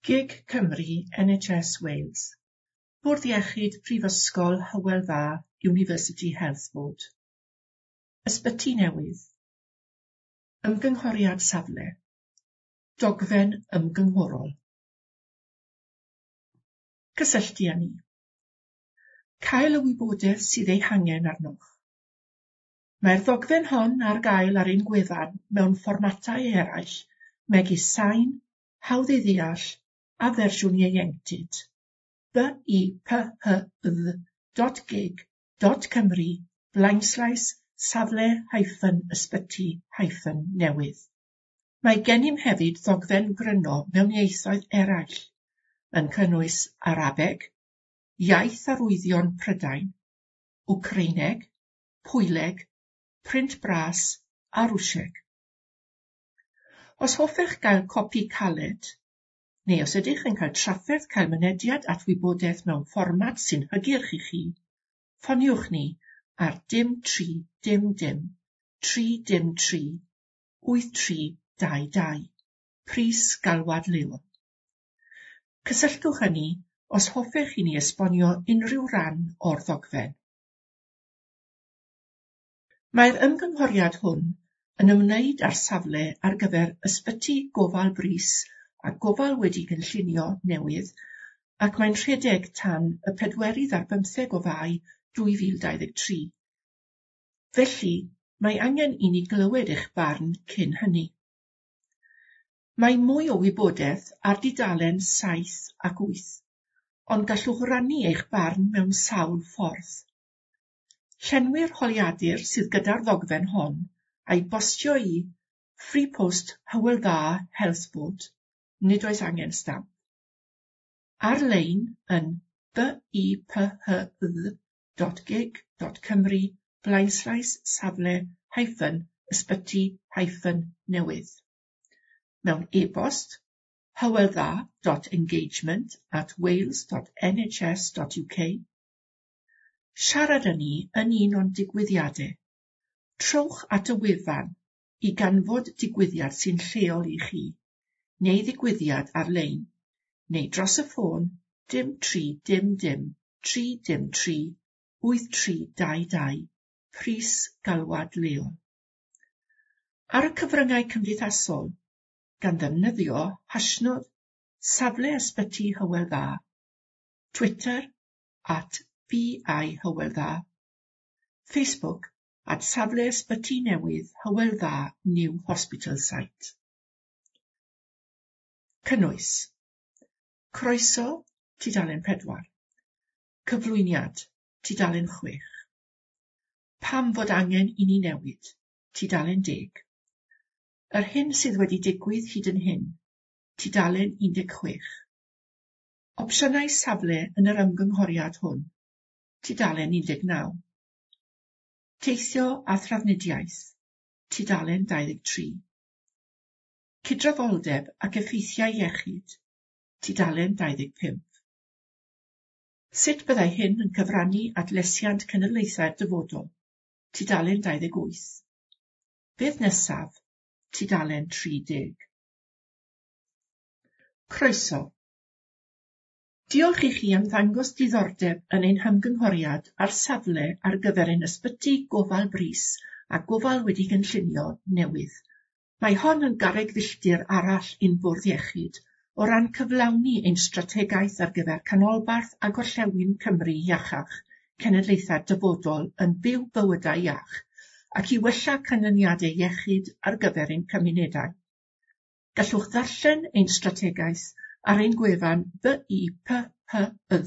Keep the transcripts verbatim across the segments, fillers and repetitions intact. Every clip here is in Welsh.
Gig Cymru N H S Wales. Bwrdd Iechyd Prifysgol Hywel Dda University Health Board. Ysbyty Newydd. Ymgynghoriad safle. Dogfen ymgynghorol. Cysylltu â ni. Cael y wybodaeth sydd ei hangen arnoch. Mae'r ddogfen hon ar gael ar ein gwefan mewn fformatau eraill megis sain, hawdd ei ddeall a fersiwn ieuenctid. B I P H Y dot gig dot Cymru blaenslaes safle hyphen ysbyty hyphen newydd. Mae gennym hefyd ddogfen gryno mewn ieithoedd eraill, yn cynnwys Arabeg, Iaith Arwyddion Prydain, Wcreineg, Pwyleg, Print Bras a Rwsieg. Os hoffech gael copi caled, neu os ydych yn cael trafferth cael mynediad at wybodaeth mewn fformat sy'n hygyrch i chi, ffoniwch ni ar dim tri dim dim tri dim tri wyth tri dau dau. Pris galwad leol. Cysylltwch â ni os hoffech i ni esbonio unrhyw ran o'r ddogfen. Mae'r ymgynghoriad hwn yn ymwneud â'r safle ar gyfer ysbyty gofal brys a gofal wedi gynllunio newydd ac mae'n rhedeg tan y pedwerydd ar bymtheg o Fai dwy fil dau ddeg tri. Felly, mae angen i ni glywed eich barn cyn hynny. Mae mwy o wybodaeth ar dudalen saith ac wyth, ond gallwch rannu eich barn mewn sawl ffordd. Llenwi'r holiadur sydd gyda'r ddogfen hon a'i bostio i Free Post Hywel Dda Health Board, nid oes angen stamp. Ar-lein yn b i p h y dot gig dot Cymru blaenslaes safle hyphen ysbyty hyphen newydd. Mewn e-bost hyweldda dot engagement at wales dot n h s dot u k. Siarad â ni yn un o'n digwyddiadau. Trowch at y wefan i ganfod digwyddiad sy'n lleol i chi, neu ddigwyddiad ar-lein, neu dros y ffôn dim tri dim dim tri dim tri wyth tri dau dau, pris galwad leol. Ar y cyfryngau cymdeithasol, gan ddefnyddio hashnod safle ysbyty Hywel Dda, Twitter at B I Hywel Dda, Facebook at safle ysbyty newydd Hywel Dda New Hospital Site. Cynnwys. Croeso, tudalen pedwar. Cyflwyniad, tudalen chwech. Pam fod angen i ni newid, tudalen deg. Yr hyn sydd wedi digwydd hyd yn hyn, tudalen un deg chwech. Opsiynau safle yn yr ymgynghoriad hwn, tudalen un deg naw. Teithio a thrafnidiaeth, tudalen dau ddeg tri. Cydraddoldeb ac effeithiau iechyd, tudalen dau ddeg pump. Sut byddai hyn yn cyfrannu at lesiant cenedlaethau'r dyfodol, tudalen dau ddeg wyth. Beth nesaf, tudalen tri deg. Croeso. Diolch i chi am ddangos diddordeb yn ein hymgynghoriad ar safle ar gyfer ein ysbyty gofal brys a gofal wedi gynllunio newydd. Mae hon yn garreg filltir arall i'n bwrdd iechyd o ran cyflawni ein strategaeth ar gyfer canolbarth a gorllewin Cymru iachach, cenedlaethau'r dyfodol yn byw bywydau iach, ac i wella canlyniadau iechyd ar gyfer ein cymunedau. Gallwch ddarllen ein strategaeth ar ein gwefan b i p h y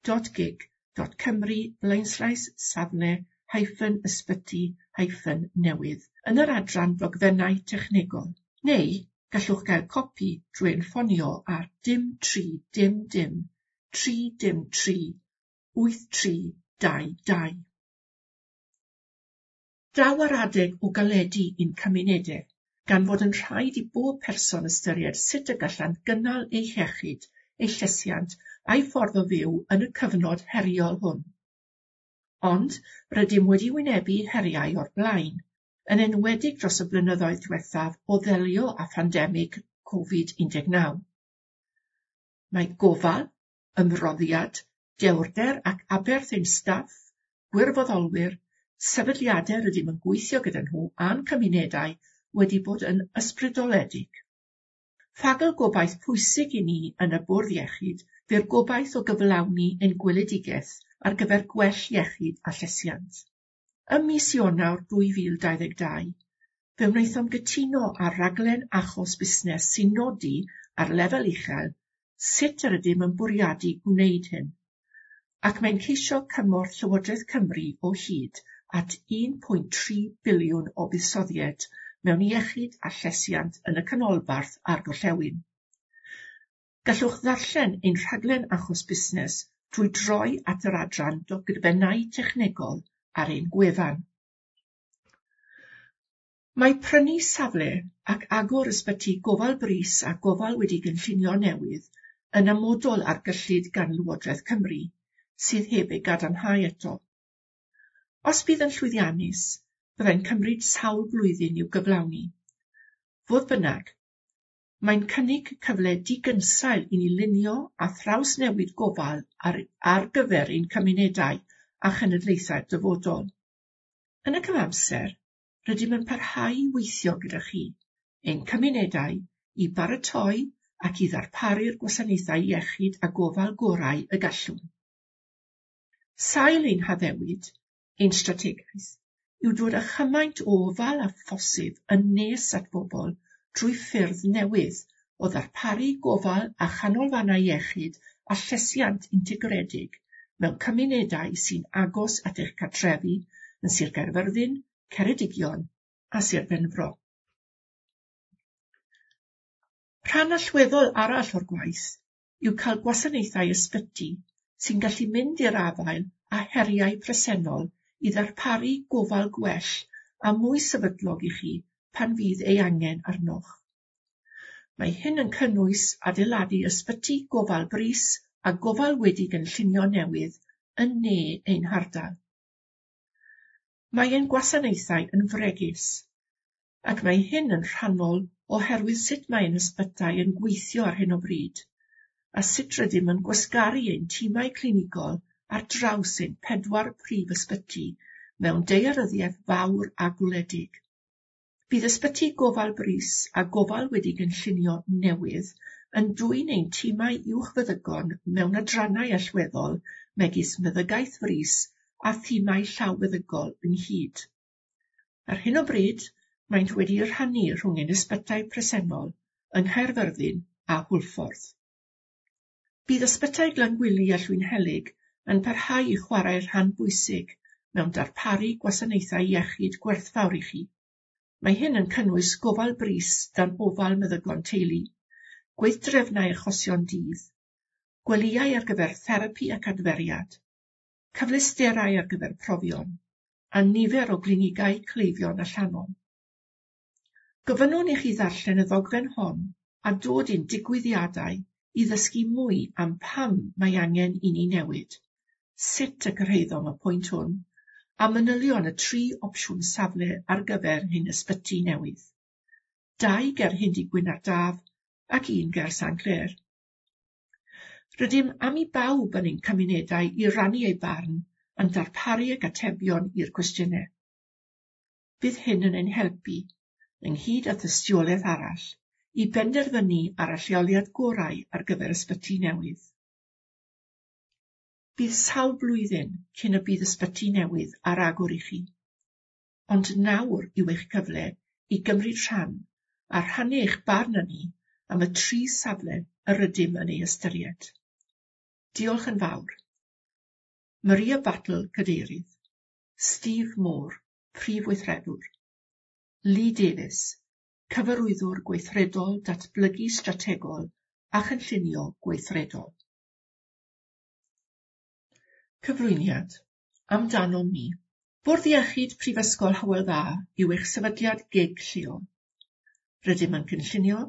dot gig dot Cymru blaenslaes safle hyphen ysbyty hyphen newydd yn yr adran dogfennau technegol, neu gallwch gael copi drwy ein ffonio ar dim tri dim dim tri dim tri wyth tri dau dau. Daw ar adeg o galedu i'n cymunedau, gan fod yn rhaid i bob person ystyried sut y gallant gynnal eu hiechyd, eu llesiant a'u ffordd o fyw yn y cyfnod heriol hwn. Ond rydym wedi wynebu heriau o'r blaen, yn enwedig dros y blynyddoedd diwethaf o ddelio â phandemig Covid un deg naw. Mae gofal, ymroddiad, dewrder ac aberth ein staff, gwirfoddolwyr, sefydliadau rydym yn gweithio gyda nhw a'n cymunedau wedi bod yn ysbrydoledig. Ffagl gobaith pwysig i ni yn y Bwrdd Iechyd fu'r gobaith o gyflawni ein gweledigaeth ar gyfer gwell iechyd a llesiant. Ym mis Ionawr dwy fil dau ddeg dau, fe wnaethom gytuno ar raglen achos busnes sy'n nodi ar lefel uchel sut yr ydym yn bwriadu gwneud hyn, ac mae'n ceisio cymorth Llywodraeth Cymru o hyd at un pwynt tri biliwn o buddsoddiad mewn iechyd a llesiant yn y canolbarth a'r gorllewin. Gallwch ddarllen ein rhaglen achos busnes drwy droi at yr adran dogfennau technegol ar ein gwefan. Mae prynu safle ac agor ysbyty gofal brys a gofal wedi gynllunio newydd yn amodol ar gyllid gan Lywodraeth Cymru, sydd heb ei gadarnhau eto. Os bydd yn llwyddiannus, byddai'n cymryd sawl blwyddyn i'w gyflawni. Fodd bynnag, mae'n cynnig cyfle digynsail i ni lunio a thrawsnewid gofal ar, ar gyfer ein cymunedau a chenedlaethau'r dyfodol. Yn y cyfamser, rydym yn parhau i weithio gyda chi, ein cymunedau, i baratoi ac i ddarparu'r gwasanaethau iechyd a gofal gorau y gallwn. Sail ein haddewid, ein strategaeth, yw dod â chymaint o ofal â phosib yn nes at bobl drwy ffyrdd newydd o ddarparu gofal a chanolfannau iechyd a llesiant integredig mewn cymunedau sy'n agos at eich cartrefi yn Sir Gaerfyrddin, Ceredigion a Sir Benfro. Rhan allweddol arall o'r gwaith yw cael gwasanaethau ysbyty sy'n gallu mynd i'r afael â heriau presennol i ddarparu gofal gwell a mwy sefydlog i chi pan fydd ei angen arnoch. Mae hyn yn cynnwys adeiladu ysbyty gofal brys a gofal wedi gynllunio newydd yn ne ein hardal. Mae ein gwasanaethau yn fregus, ac mae hyn yn rhannol oherwydd sut mae ein ysbytai yn gweithio ar hyn o bryd, a sut rydym yn gwasgaru ein timau clinigol ar draws ein pedwar prif ysbyty mewn daearyddiaeth fawr a gwledig. Bydd ysbyty gofal brys a gofal wedi gynllunio newydd yn dwyn ein timau uwchfeddygon mewn adrannau allweddol megis meddygaeth frys a thimau llawfeddygol ynghyd. Ar hyn o bryd, maent wedi'u rhannu rhwng ein ysbytai presennol yng Nghaerfyrddin a Hwlffordd. Bydd ysbytai Glangwili a Llwynhelyg yn parhau i chwarae rhan bwysig mewn darparu gwasanaethau iechyd gwerthfawr i chi. Mae hyn yn cynnwys gofal brys dan ofal meddygon teulu, gweithdrefnau achosion dydd, gwelyau ar gyfer therapi ac adferiad, cyfleusterau ar gyfer profion, a nifer o glinigau cleifion allanol. Gofynnwn i chi ddarllen y ddogfen hon a dod i'n digwyddiadau i ddysgu mwy am pam mae angen i ni newid, sut y cyrhaeddom y pwynt hwn, a manylion y tri opsiwn safle ar gyfer hyn ysbyty newydd. Dau ger Hendy Gwyn ar Daf ac un ger Saint Clear. Rydym am i bawb yn ein cymunedau i rannu eu barn yn darparu ag atebion i'r cwestiynau. Bydd hyn yn ein helpu, ynghyd â thystiolaeth arall, i benderfynu ar y lleoliad gorau ar gyfer ysbyty newydd. Bydd sawl blwyddyn cyn y bydd ysbyty newydd ar agor i chi, ond nawr yw eich cyfle i gymryd rhan a rhannu eich barn â ni am y tri safle yr ydym yn ei ystyried. Diolch yn fawr. Maria Battle, Cadeirydd. Steve Moore, Prif Weithredwr. Lee Davies, Cyfarwyddwr Gweithredol Datblygu Strategol a Chynllunio Gweithredol. Cyflwyniad. Amdanom ni. Bwrdd Iechyd Prifysgol Hywel Dda yw eich sefydliad gig lleol. Rydym yn cynllunio,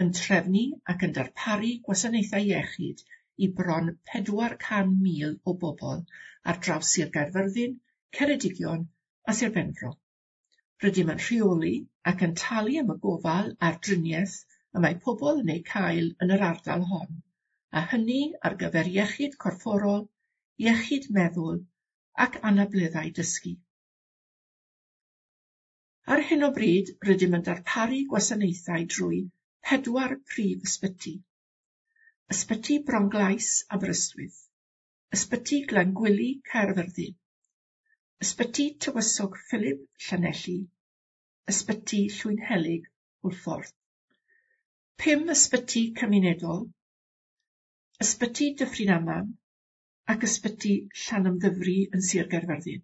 yn trefnu ac yn darparu gwasanaethau iechyd i bron pedwar can mil o bobl ar draws Sir Gaerfyrddin, Ceredigion a Sir Benfro. Rydym yn rheoli ac yn talu am y gofal a'r driniaeth y mae pobl yn eu cael yn yr ardal hon, a hynny ar gyfer iechyd corfforol, iechyd meddwl ac anableddau dysgu. Ar hyn o bryd, rydym yn darparu gwasanaethau drwy pedwar prif ysbyty. Ysbyty Bronglais, Aberystwyth, Ysbyty Glangwili, Caerfyrddin, Ysbyty Tywysog Philip, Llanelli, Ysbyty Llwynhelyg, Hwlffordd. Pum ysbyty cymunedol, Ysbyty Dyffryn Aman ac Ysbyty Llanymddyfri yn Sir Gaerfyrddin,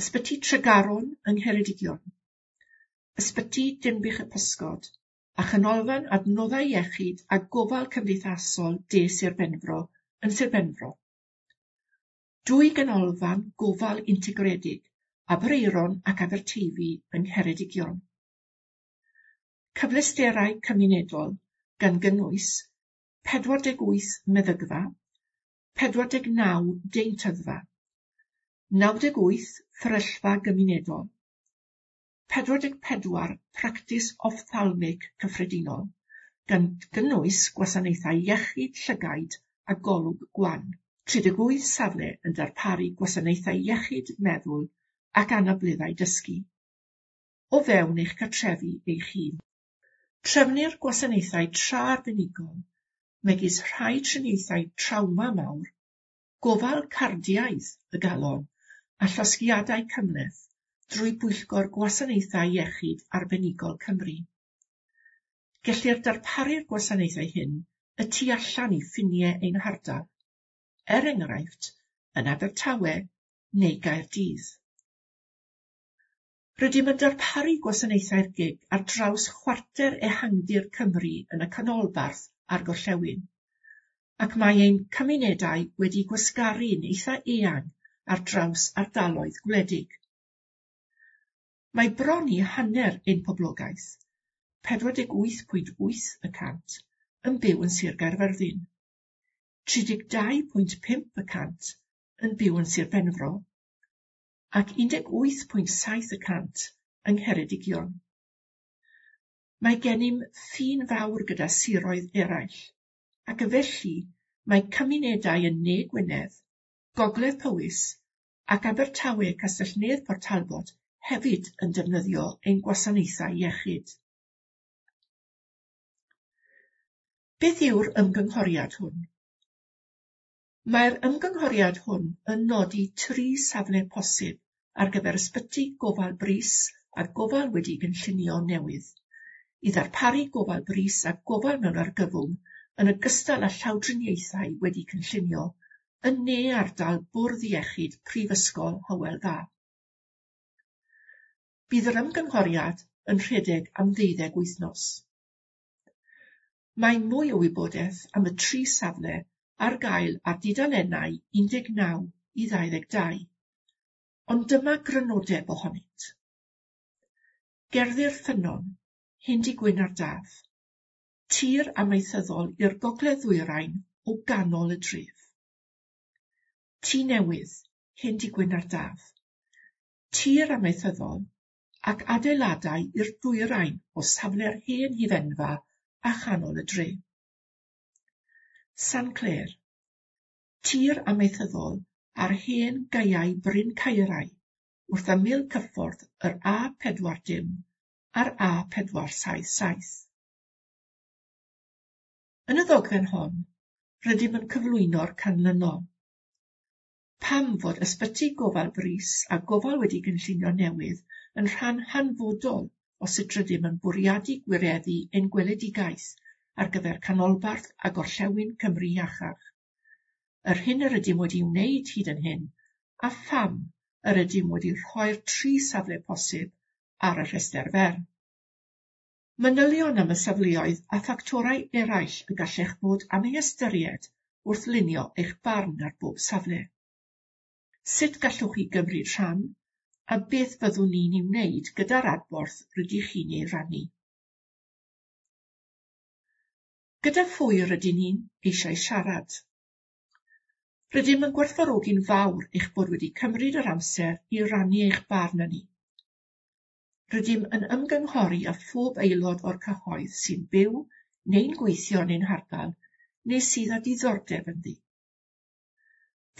Ysbyty Tregaron yng Ngheredigion, Ysbyty Dinbych y Pysgod a Chanolfan Adnoddau Iechyd a Gofal Cymdeithasol De Sir Benfro yn Sir Benfro. Dwy ganolfan gofal integredig, Aberaeron ac Aberteifi yng Ngheredigion. Cyfleusterau cymunedol gan gynnwys pedwar deg wyth meddygfa, pedwar deg naw deintyddfa, naw deg wyth fferyllfa gymunedol, pedwar deg pedwar practis ophthalmic cyffredinol, gan gynnwys gwasanaethau iechyd llygaid a golwg gwan. tri deg wyth safle yn darparu gwasanaethau iechyd meddwl ac anableddau dysgu, o fewn eich cartrefi eich hun. Trefnir gwasanaethau tra arbenigol, megis rhai triniaethau trawma mawr, gofal cardiaidd y galon a llosgiadau cymhleth drwy Bwyllgor Gwasanaethau Iechyd Arbenigol Cymru. Gellir darparu'r gwasanaethau hyn y tu allan i ffiniau ein hardal, er enghraifft yn Abertawe neu Gaerdydd. Rydym yn darparu gwasanaethau'r gig ar draws chwarter ehangdir Cymru yn y canolbarth a'r gorllewin, ac mae ein cymunedau wedi gwasgaru'n eitha eang ar draws ardaloedd gwledig. Mae bron i hanner ein poblogaeth, pedwar deg wyth pwynt wyth y cant, yn byw yn Sir Gaerfyrddin, tri deg dau pwynt pump y cant yn byw yn Sir Benfro, ac un deg wyth pwynt saith y cant yng Ngheredigion. Mae gennym ffin fawr gyda siroedd eraill, ac felly mae cymunedau yn Ne Gwynedd, Gogledd Powys ac Abertawe Castell-nedd Port Talbot hefyd yn defnyddio ein gwasanaethau iechyd. Beth yw'r ymgynghoriad hwn? Mae'r ymgynghoriad hwn yn nodi tri safle posib ar gyfer ysbyty gofal brys a gofal wedi'i gynllunio newydd, i ddarparu gofal brys a gofal mewn argyfwng yn ogystal â llawdriniaethau wedi cynllunio yn ne ardal Bwrdd Iechyd Prifysgol Hywel Dda. Bydd yr ymgynghoriad yn rhedeg am ddeuddeg wythnos. Mae mwy o wybodaeth am y tri safle ar gael ar dudalennau un deg naw i ddau ddeg dau, ond dyma grynodeb ohonynt. Gerddi'r Ffynnon, Hendy-gwyn ar Daf, tir amaethyddol i'r gogledd-ddwyrain o ganol y dref. Tŷ Newydd, Hendy-gwyn ar Daf, tir amaethyddol ac adeiladau i'r dwyrain o safle'r hen hufenfa a chanol y dre. San Clêr, tir amaethyddol ar hen gaeau Bryn Caerau wrth ymyl cyffordd yr A pedwar dim a'r A pedwar saith saith. Yn y ddogfen hon, rydym yn cyflwyno'r canlynol. Pam fod ysbyty gofal brys a gofal wedi gynllunio newydd yn rhan hanfodol o sut rydym yn bwriadu gwireddu ein gweledigaeth ar gyfer canolbarth a gorllewin Cymru iachach. Yr hyn yr ydym wedi wneud hyd yn hyn, a pham yr ydym wedi rhoi'r tri safle posib ar y rhestr fer. Manylion am y safleoedd a ffactorau eraill y gallech fod am ei ystyried wrth lunio eich barn ar bob safle. Sut gallwch chi gymryd rhan, a beth fyddwn ni'n ei wneud gyda'r adborth rydych chi'n ei rannu. Gyda phwy rydyn ni'n eisiau siarad? Rydym yn gwerthfawrogi'n fawr eich bod wedi cymryd yr amser i rannu eich barn â ni. Rydym yn ymgynghori â phob aelod o'r cyhoedd sy'n byw neu'n gweithio yn ein hardal neu sydd â diddordeb ynddi.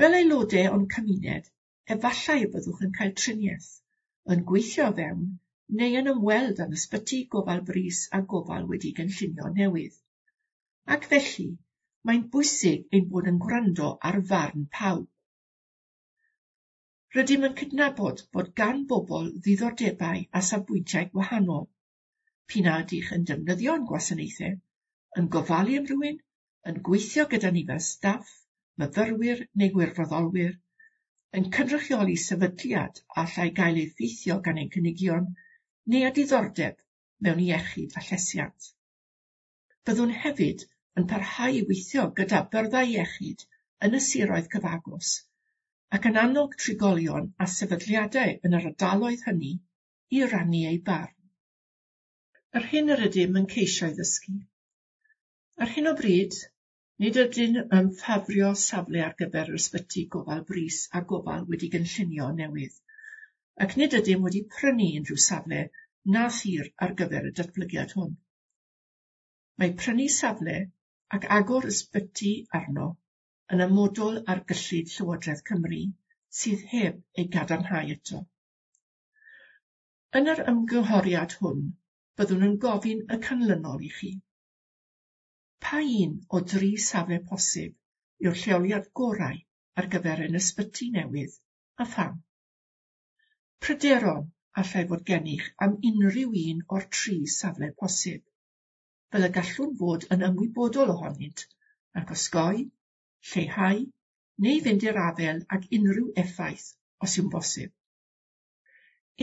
Fel aelodau o'n cymuned, efallai y byddwch yn cael triniaeth, yn gweithio fewn neu yn ymweld â'n ysbyty gofal brys a gofal wedi gynllunio newydd. Ac felly, mae'n bwysig ein bod yn gwrando ar farn pawb. Rydym yn cydnabod bod gan bobl ddiddordebau a safbwyntiau gwahanol. P'un a ydych yn defnyddio'n gwasanaethau, yn gofalu am rywun, yn gweithio gyda ni fel staff, myfyrwyr neu gwirfoddolwyr, yn cynrychioli sefydliad allai gael ei effeithio gan ein cynigion, neu â diddordeb mewn iechyd a llesiant. Byddwn hefyd yn parhau i weithio gyda byrddau iechyd yn y siroedd cyfagos ac yn annog trigolion a sefydliadau yn yr ardaloedd hynny i rannu eu barn. Yr hyn yr ydym yn ceisio ei ddysgu. Ar hyn o bryd, nid ydym yn ffafrio safle ar gyfer yr ysbyty gofal brys a gofal wedi gynllunio newydd, ac nid ydym wedi prynu unrhyw safle na thir ar gyfer y datblygiad hwn. Mae prynu safle ac agor ysbyty arno yn amodol ar gyllid Llywodraeth Cymru sydd heb ei gadarnhau eto. Yn yr ymgynghoriad hwn, byddwn yn gofyn y canlynol i chi. Pa un o dri safle posib yw'r lleoliad gorau ar gyfer ein ysbyty newydd a pham? Pryderon allai fod gennych am unrhyw un o'r tri safle posib, fel y gallwn fod yn ymwybodol ohonynt ac osgoi, lleihau neu fynd i'r afael ag unrhyw effaith os yw'n bosib.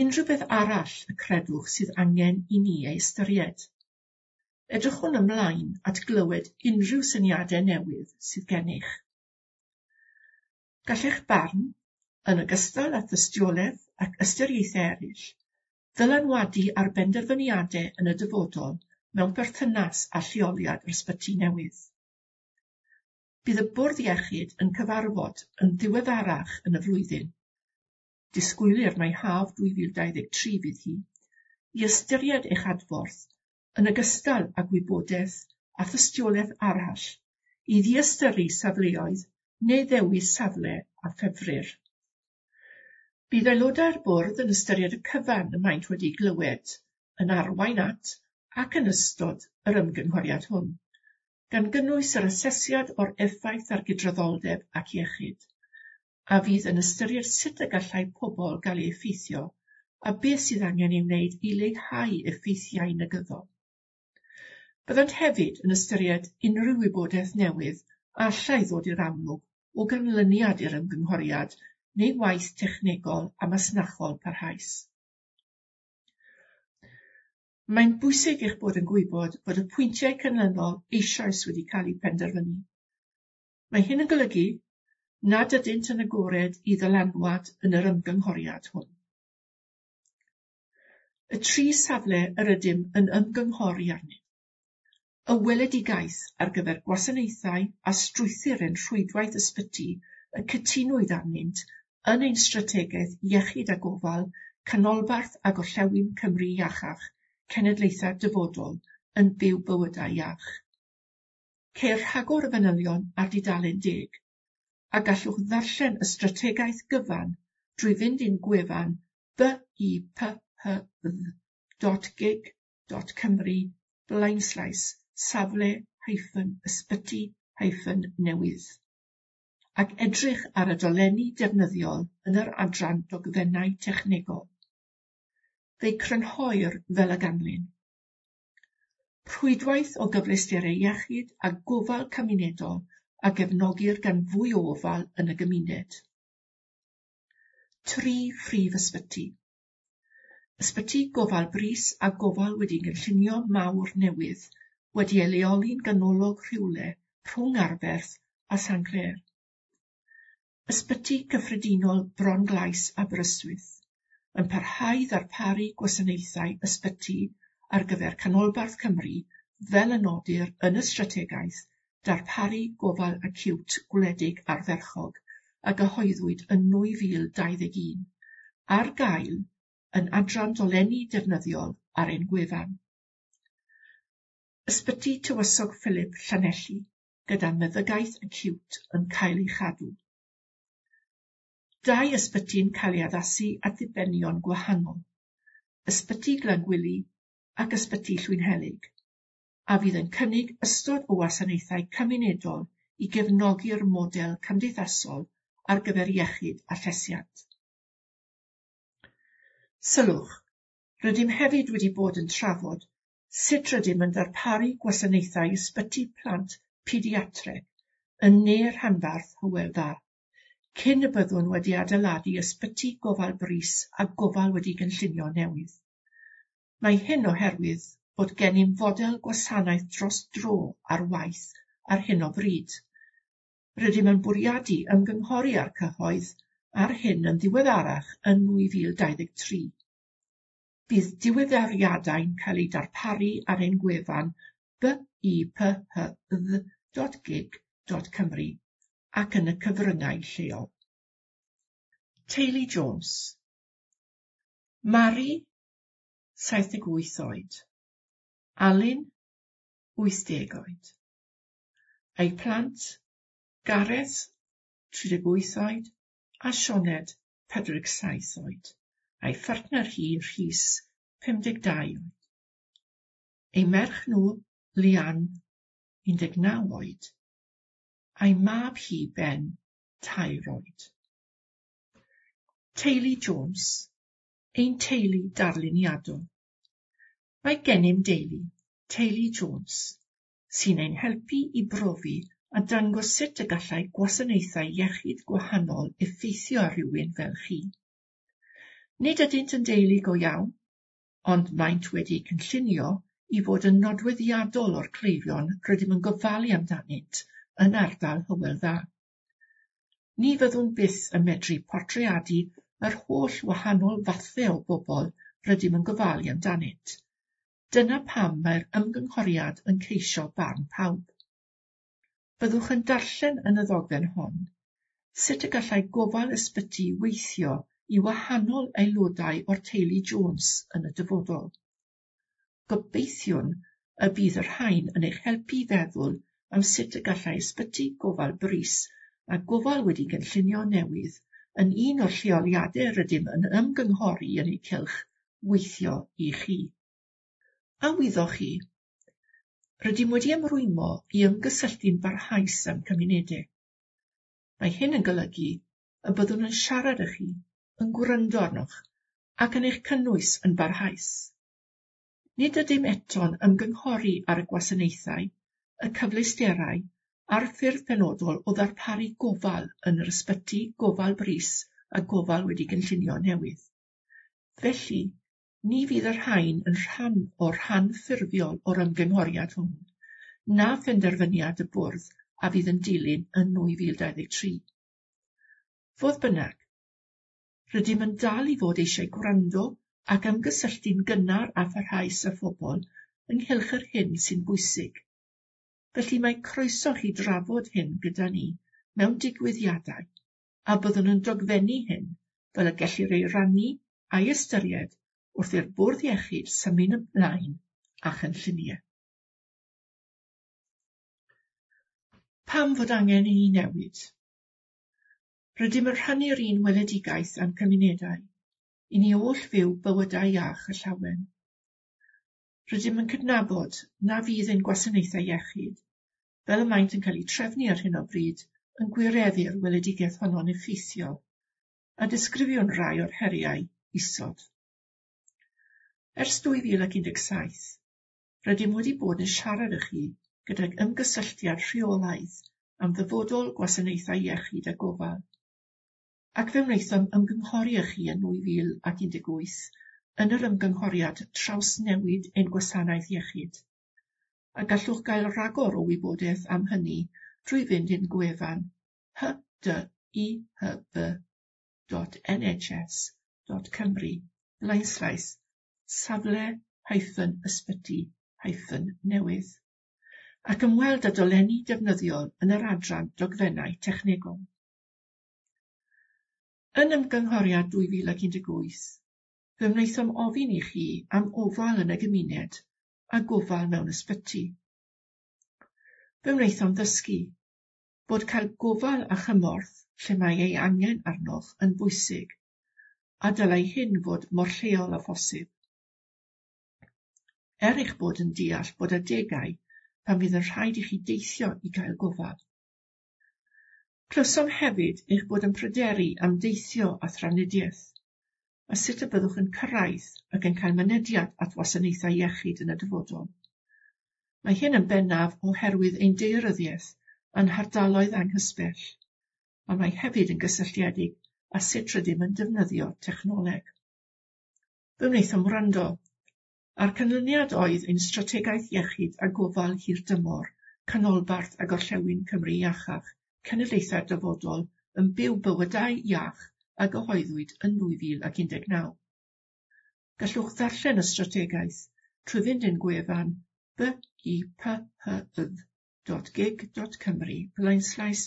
Unrhyw beth arall y credwch sydd angen i ni ei ystyried. Edrychwn ymlaen at glywed unrhyw syniadau newydd sydd gennych. Gall eich barn, yn ogystal â thystiolaeth ac ystyriaethau eraill, ddylanwadu ar benderfyniadau yn y dyfodol mewn perthynas â lleoliad yr ysbyty newydd. Bydd y Bwrdd Iechyd yn cyfarfod yn ddiweddarach yn y flwyddyn. Disgwylir mai haf dwy fil dau ddeg tri fydd hi, i ystyried eich adborth yn ogystal â gwybodaeth a thystiolaeth arall i ddiystyru safleoedd neu ddewis safle a ffefrir. Bydd aelodau'r bwrdd yn ystyried y cyfan y maent wedi glywed yn arwain at ac yn ystod yr ymgynghoriad hwn, gan gynnwys yr asesiad o'r effaith ar gydraddoldeb ac iechyd, a fydd yn ystyried sut y gallai pobl gael eu effeithio a beth sydd angen ei wneud i leihau effeithiau negyddol. Byddant hefyd yn ystyried unrhyw wybodaeth newydd a allai ddod i'r amlwg o ganlyniad i'r ymgynghoriad neu waith technegol a masnachol parhaus. Mae'n bwysig eich bod yn gwybod bod y pwyntiau canlynol eisoes wedi cael eu penderfynu. Mae hyn yn golygu nad ydynt yn agored i ddylanwad yn yr ymgynghoriad hwn. Y tri safle yr ydym yn ymgynghori arnynt. Y weledigaeth ar gyfer gwasanaethau a strwythur ein rhwydwaith ysbyty y cytunwyd arnynt yn ein strategaeth iechyd a gofal canolbarth a gorllewin Cymru iachach cenedlaethau'r dyfodol yn byw bywydau iach. Ceir rhagor o fanylion ar dudalen deg, a gallwch ddarllen y strategaeth gyfan drwy fynd i'n gwefan b i p h dd dot gig dot cymru blaenslaes safle hyphen ysbyty hyphen newydd, ac edrych ar y dolenni defnyddiol yn yr adran dogfennau technegol. Fe'i crynhoir fel y ganlyn. Rhwydwaith o gyfleusterau iechyd a gofal cymunedol a gefnogir gan fwy o ofal yn y gymuned. Tri phrif ysbyty. Ysbyty gofal brys a gofal wedi gynllunio mawr newydd wedi ei leoli'n ganolog rhywle rhwng Arberth a Sanclêr. Ysbyty cyffredinol Bron-glais Aberystwyth yn parhau ddarparu gwasanaethau ysbyty ar gyfer Canolbarth Cymru fel y nodir yn y strategaeth darparu gofal acíwt gwledig ardderchog a gyhoeddwyd yn nwy fil dau ddeg un, ar gael yn adran dolenni defnyddiol ar ein gwefan. Ysbyty Tywysog Philip Llanelli, gyda meddygaeth acute yn cael ei chadw. Dau ysbyty'n cael ei addasu at ddibenion gwahanol, Ysbyty Glangwili ac Ysbyty Llwynhelyg, a fydd yn cynnig ystod o wasanaethau cymunedol i gefnogi'r model cymdeithasol ar gyfer iechyd a llesiant. Sylwch, rydym hefyd wedi bod yn trafod sut rydym yn darparu gwasanaethau ysbyty plant pediatreg yn ne'r rhanbarth Hywel Dda, cyn y byddwn wedi adeiladu ysbyty gofal brys a gofal wedi gynllunio newydd. Mae hyn oherwydd bod gennym fodel gwasanaeth dros dro ar waith ar hyn o bryd. Rydym yn bwriadu ymgynghori â'r cyhoedd ar hyn yn ddiweddarach yn nwy fil dau ddeg tri. Bydd diweddariadau'n cael eu darparu ar ein gwefan b i p h dd dot gig dot cymru ac yn y cyfryngau lleol. Teulu Jones. Mari, saith deg wyth oed. Alun, wyth deg oed. Ei plant, Gareth, tri deg wyth oed, a Sioned, pedwar deg saith oed. A'i phartner hi, Rhys, pum deg dau oed. Ei merch nhw, Lian, un deg naw oed, a'i mab hi, Ben, tair oed. Teulu Jones, ein teulu darluniadol. Mae gennym deulu, Teulu Jones, sy'n ein helpu i brofi a dangos sut y gallai gwasanaethau iechyd gwahanol effeithio ar rywun fel chi. Nid ydynt yn deulu go iawn, ond maent wedi cynllunio i fod yn nodweddiadol o'r cleifion rydym yn gofalu amdanynt yn ardal Hywel Dda. Ni fyddwn byth yn medru portreadu yr holl wahanol fathau o bobl rydym yn gofalu amdanynt. Dyna pam mae'r ymgynghoriad yn ceisio barn pawb. Byddwch yn darllen yn y ddogfen hon sut y gallai gofal ysbyty weithio i wahanol aelodau o'r teulu Jones yn y dyfodol. Gobeithiwn y bydd y rhain yn eich helpu i feddwl am sut y gallai ysbyty gofal brys a gofal wedi gynllunio newydd yn un o'r lleoliadau rydym yn ymgynghori yn eu cylch weithio i chi. A wyddoch chi, rydym wedi ymrwymo i ymgysylltu'n barhaus â'n cymunedau. Mae hyn yn golygu y byddwn yn siarad â chi, yn gwrando arnoch ac yn eich cynnwys yn barhaus. Nid ydym eto'n ymgynghori ar y gwasanaethau, y cyfleusterau a'r ffyrdd penodol o ddarparu gofal yn yr ysbyty gofal brys a gofal wedi gynllunio newydd. Felly, ni fydd y rhain yn rhan o'r rhan ffurfiol o'r ymgynghoriad hwn, na phenderfyniad y bwrdd a fydd yn dilyn yn nwy fil dau ddeg tri. Fodd bynnag, rydym yn dal i fod eisiau gwrando ac ymgysylltu'n gynnar a pharhaus â phobl ynghylch yr hyn sy'n bwysig. Felly mae croeso chi drafod hyn gyda ni mewn digwyddiadau, a byddwn yn dogfennu hyn fel y gellir ei rannu a'i ystyried wrth i'r bwrdd iechyd symud ymlaen a chynlluniau. Pam fod angen i ni newid? Rydym yn rhannu'r un weledigaeth â'n cymunedau, i ni oll fyw bywydau iach a llawen. Rydym yn cydnabod na fydd ein gwasanaethau iechyd, fel y maent yn cael eu trefnu ar hyn o bryd, yn gwireddu'r weledigaeth honno'n effeithiol, a disgrifiwn rai o'r heriau isod. Ers dwy fil ac un deg saith, rydym wedi bod yn siarad â chi gydag ymgysylltiad rheolaidd am ddyfodol gwasanaethau iechyd a gofal, ac fe wnaethom ymgynghori â chi yn nwy fil ac un deg wyth yn yr ymgynghoriad trawsnewid ein gwasanaeth iechyd, a gallwch gael rhagor o wybodaeth am hynny drwy fynd i'n gwefan h d i h b dot n h s dot cymru blaenslaes safle hyphen ysbyty hyphen newydd, ac ymweld â dolenni defnyddiol yn yr adran dogfennau technegol. Yn ymgynghoriad dwy fil ac un deg wyth, fe wnaethom ofyn i chi am ofal yn y gymuned a gofal mewn ysbyty. Fe wnaethom ddysgu bod cael gofal a chymorth lle mae ei angen arnoch yn bwysig, a dylai hyn fod mor lleol â phosib. Er eich bod yn deall bod adegau pan fydd yn rhaid i chi deithio i gael gofal. Clywsom hefyd eich bod yn pryderu am deithio a thrafnidiaeth, a sut y byddwch yn cyrraedd ac yn cael mynediad at wasanaethau iechyd yn y dyfodol. Mae hyn yn bennaf oherwydd ein daearyddiaeth a'n hardaloedd anghysbell, ond mae hefyd yn gysylltiedig â sut rydym yn defnyddio technoleg. Fe wnaethom wrando, a'r canlyniad oedd ein strategaeth iechyd a gofal hirdymor, canolbarth a gorllewin Cymru iachach, cenedlaethau'r dyfodol yn byw bywydau iach a gyhoeddwyd yn nwy fil ac un deg naw. Gallwch ddarllen y strategaeth trwy fynd i'n gwefan b i p h y dot gig dot cymru blaenslaes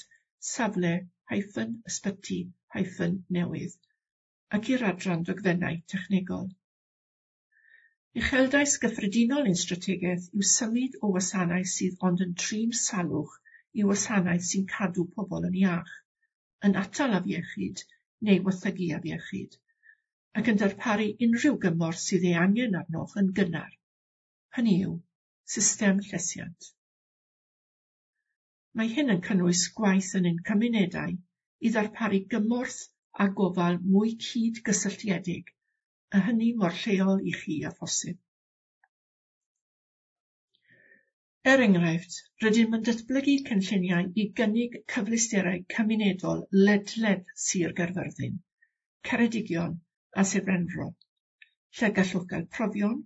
safle hyphen ysbyty hyphen newydd ac i'r adran dogfennau technegol. Uchelgais gyffredinol ein strategaeth yw symud o wasanaeth sydd ond yn trin salwch i wasanaeth sy'n cadw pobl yn iach, yn atal afiechyd neu waethygu afiechyd, ac yn darparu unrhyw gymorth sydd ei angen arnoch yn gynnar, hynny yw, system llesiant. Mae hyn yn cynnwys gwaith yn ein cymunedau i ddarparu gymorth a gofal mwy cyd-gysylltiedig, a hynny mor lleol i chi â phosib. Er enghraifft, rydym yn datblygu cynlluniau i gynnig cyfleusterau cymunedol ledled Sir Gaerfyrddin, Ceredigion a Sir Benfro, lle gallwch gael profion,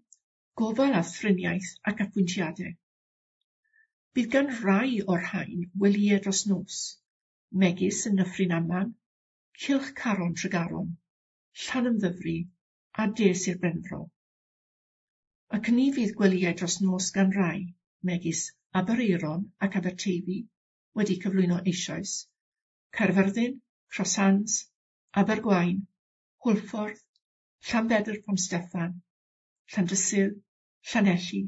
gofal a thriniaeth ac apwyntiadau. Bydd gan rai o'r rhain welyau dros nos, megis yn Nyffryn Aman, Cylch Caron Tregaron, Llanymddyfri a De Sir Benfro. Ac ni fydd gwelyau dros nos gan rai, megis Aberaeron ac Aberteifi, wedi cyflwyno eisoes, Caerfyrddin, Cross Hands, Abergwaun, Hwlffordd, Llanbedr Pont Steffan, Llandysul, Llanelli,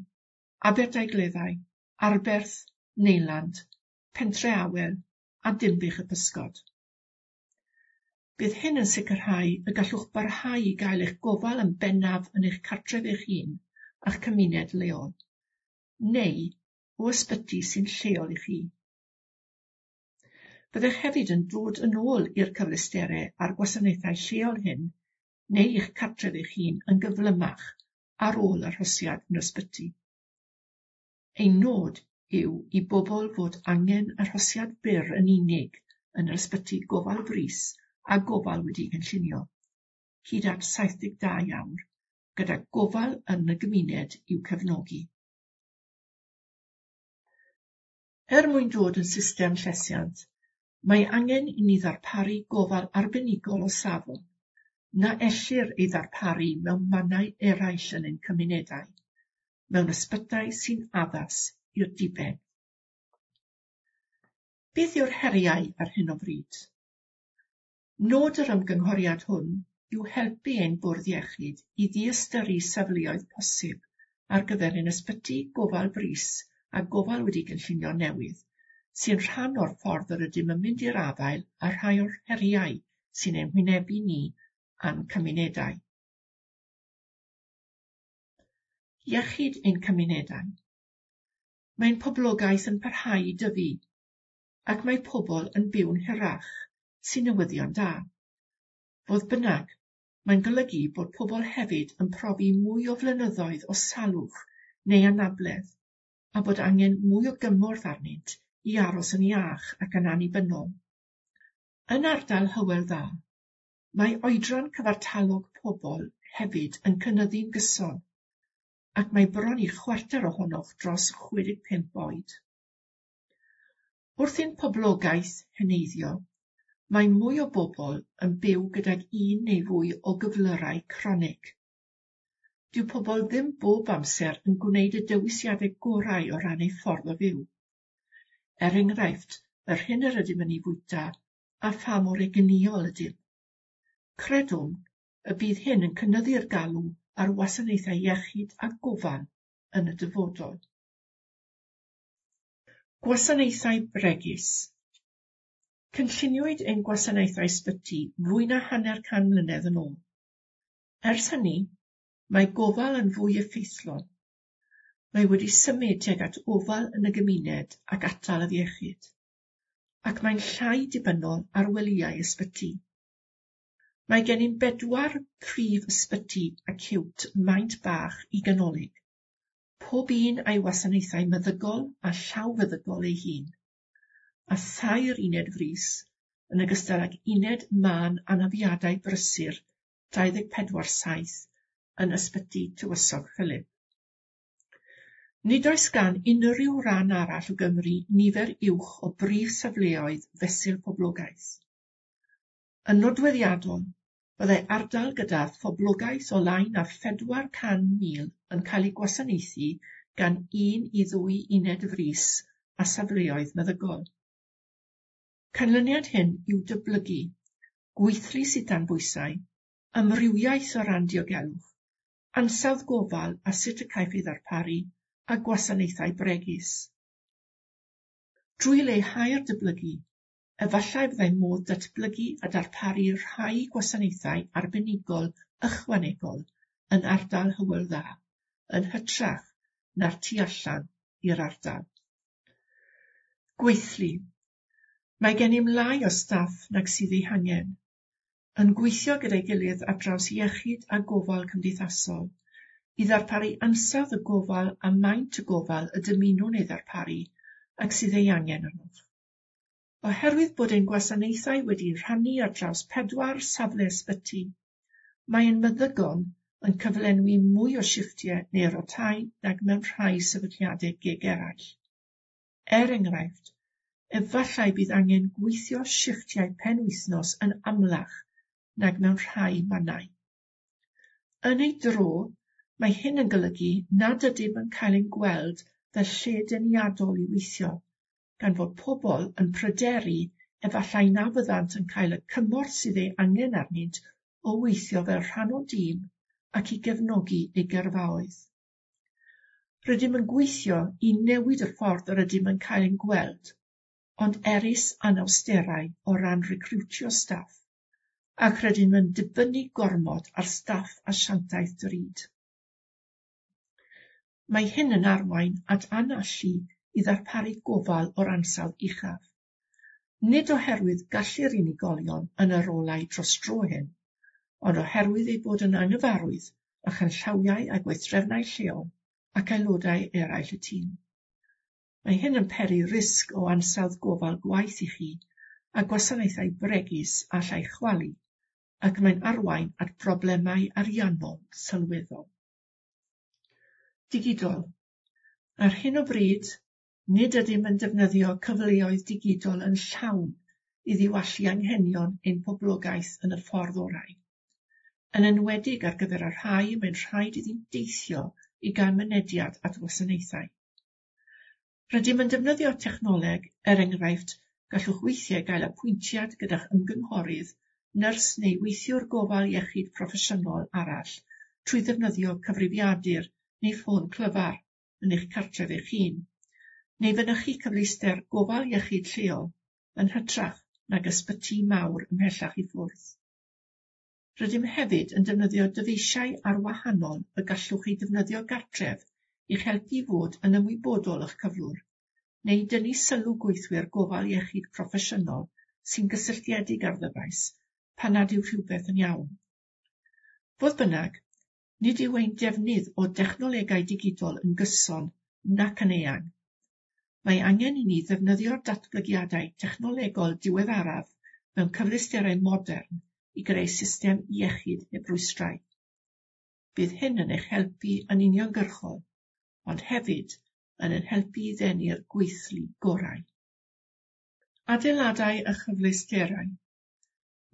Aberdaugleddau, Arberth, Neyland, Pentre Awel a Dinbych y Pysgod. Bydd hyn yn sicrhau y gallwch barhau i gael eich gofal yn bennaf yn eich cartref eich hun a'ch cymuned leol, neu o ysbyty sy'n lleol i chi. Byddech hefyd yn dod yn ôl i'r cyfleusterau a'r gwasanaethau lleol hyn neu i'ch cartref eich hun yn gyflymach ar ôl arhosiad yn ysbyty. Ein nod yw i bobl fod angen arhosiad byr yn unig yn yr ysbyty gofal brys a gofal wedi'i gynllunio, hyd at saith deg dau awr, gyda gofal yn y gymuned i'w cefnogi. Er mwyn dod yn system llesiant, mae angen i ni ddarparu gofal arbenigol o safon, na ellir ei ddarparu mewn mannau eraill yn ein cymunedau, mewn ysbytai sy'n addas i'r diben. Beth yw'r heriau ar hyn o bryd? Nod yr ymgynghoriad hwn yw helpu ein bwrdd iechyd i ddiystyru safleoedd posib ar gyfer ein ysbyty gofal brys a gofal wedi gynllunio newydd, sy'n rhan o'r ffordd yr ydym yn mynd i'r afael â rhai o'r heriau sy'n ein hwynebu ni a'n cymunedau. Iechyd ein cymunedau. Mae'n poblogaeth yn parhau i dyfu, ac mae pobl yn byw'n hirach, sy'n newyddion da. Fodd bynnag, mae'n golygu bod pobl hefyd yn profi mwy o flynyddoedd o salwch neu anabledd, a bod angen mwy o gymorth arnynt i aros yn iach ac yn annibynnol. Yn ardal Hywel Dda, mae oedran cyfartalog pobl hefyd yn cynyddu'n gyson, ac mae bron i chwarter ohonoch dros chwe deg pump oed. Wrth i'n poblogaeth heneiddio, mae mwy o bobl yn byw gydag un neu fwy o gyflyrau cronig. Dyw pobl ddim bob amser yn gwneud y dewisiadau gorau o ran eu ffordd o fyw. Er enghraifft, yr hyn yr ydym yn ei fwyta a pha mor egnïol ydym. Credwn y bydd hyn yn cynyddu'r galw ar wasanaethau iechyd a gofal yn y dyfodol. Gwasanaethau bregus. Cynlluniwyd ein gwasanaethau ysbyty fwy na hanner can mlynedd yn ôl. Ers hynny, mae gofal yn fwy effeithlon. Mae wedi symud tuag at ofal yn y gymuned ac atal afiechyd, ac mae'n llai dibynnol ar welyau ysbyty. Mae gennym bedwar prif ysbyty acíwt maint bach i ganolig, pob un a'i wasanaethau meddygol a llawfeddygol ei hun, a thair uned frys, yn ogystal ag uned mân anafiadau brysur dau ddeg pedwar saith yn Ysbyty Tywysog Philip. Nid oes gan unrhyw ran arall o Gymru nifer uwch o brif safleoedd fesul poblogaeth. Yn nodweddiadol, byddai ardal gyda phoblogaeth o lai na phedwar can mil yn cael ei gwasanaethu gan un i ddwy uned frys a safleoedd meddygol. Canlyniad hyn yw dyblygu, gweithlu sydd dan bwysau, amrywiaeth o ran diogelwch, ansawdd gofal a sut y caiff ei ddarparu, a gwasanaethau bregus. Drwy leihau'r dyblygu, efallai byddai modd datblygu a darparu rhai gwasanaethau arbenigol ychwanegol yn ardal Hywel Dda, yn hytrach na'r tu allan i'r ardal. Gweithlu. Mae gennym lai o staff nag sydd ei hangen, yn gweithio gyda'i gilydd ar draws iechyd a gofal cymdeithasol, i ddarparu ansawdd y gofal a maint y gofal y dymunwn ei ddarparu ac sydd ei angen arnoch. Oherwydd bod ein gwasanaethau wedi'u rhannu ar draws pedwar safle ysbyty, mae ein meddygon yn cyflenwi mwy o shifftiau neu rotau nag mewn rhai sefydliadau gig eraill. Er enghraifft, efallai bydd angen gweithio shifftiau penwythnos yn amlach nag mewn rhai mannau. Yn ei dro, mae hyn yn golygu nad ydym yn cael ein gweld fel lle deniadol i weithio, gan fod pobl yn pryderu efallai na fyddant yn cael y cymorth sydd ei angen arnynt o weithio fel rhan o dîm ac i gefnogi eu gyrfaoedd. Rydym yn gweithio i newid y ffordd yr ydym yn cael ein gweld, ond erys anawsterau o ran recriwtio staff, ac rydym yn dibynnu gormod ar staff asiantaeth drud. Mae hyn yn arwain at anallu i ddarparu gofal o'r ansawdd uchaf. Nid oherwydd gallu'r unigolion yn y rolau dros dro hyn, ond oherwydd eu bod yn anghyfarwydd â chanllawiau a gweithdrefnau lleol ac aelodau eraill y tîm. Mae hyn yn peri risg o ansawdd gofal gwaeth i chi a gwasanaethau bregus allai chwalu, ac mae'n arwain at broblemau ariannol sylweddol. Digidol. Ar hyn o bryd, nid ydym yn defnyddio cyfleoedd digidol yn llawn i ddiwallu anghenion ein poblogaeth yn y ffordd orau, yn enwedig ar gyfer y rhai mae'n rhaid iddynt deithio i gael mynediad at wasanaethau. Rydym yn defnyddio technoleg, er enghraifft, gallwch weithiau gael apwyntiad gyda'ch ymgynghorydd, nyrs neu weithiwr gofal iechyd proffesiynol arall trwy ddefnyddio cyfrifiadur neu ffôn clyfar yn eich cartref eich hun, neu fynychu cyfleuster gofal iechyd lleol yn hytrach nag ysbyty mawr ymhellach i ffwrdd. Rydym hefyd yn defnyddio dyfeisiau arwahanol y gallwch eu defnyddio gartref i'ch helpu i fod yn ymwybodol o'ch cyflwr, neu dynnu sylw gweithwyr gofal iechyd proffesiynol sy'n gysylltiedig â'r ddyfais pan nad yw rhywbeth yn iawn. Fodd bynnag, nid yw ein defnydd o dechnolegau digidol yn gyson nac yn eang. Mae angen i ni ddefnyddio'r datblygiadau technolegol diweddaraf mewn cyfleusterau modern i greu system iechyd heb rwystrau. Bydd hyn yn eich helpu yn uniongyrchol, ond hefyd yn ein helpu i ddenu'r gweithlu gorau. Adeiladau a chyfleusterau.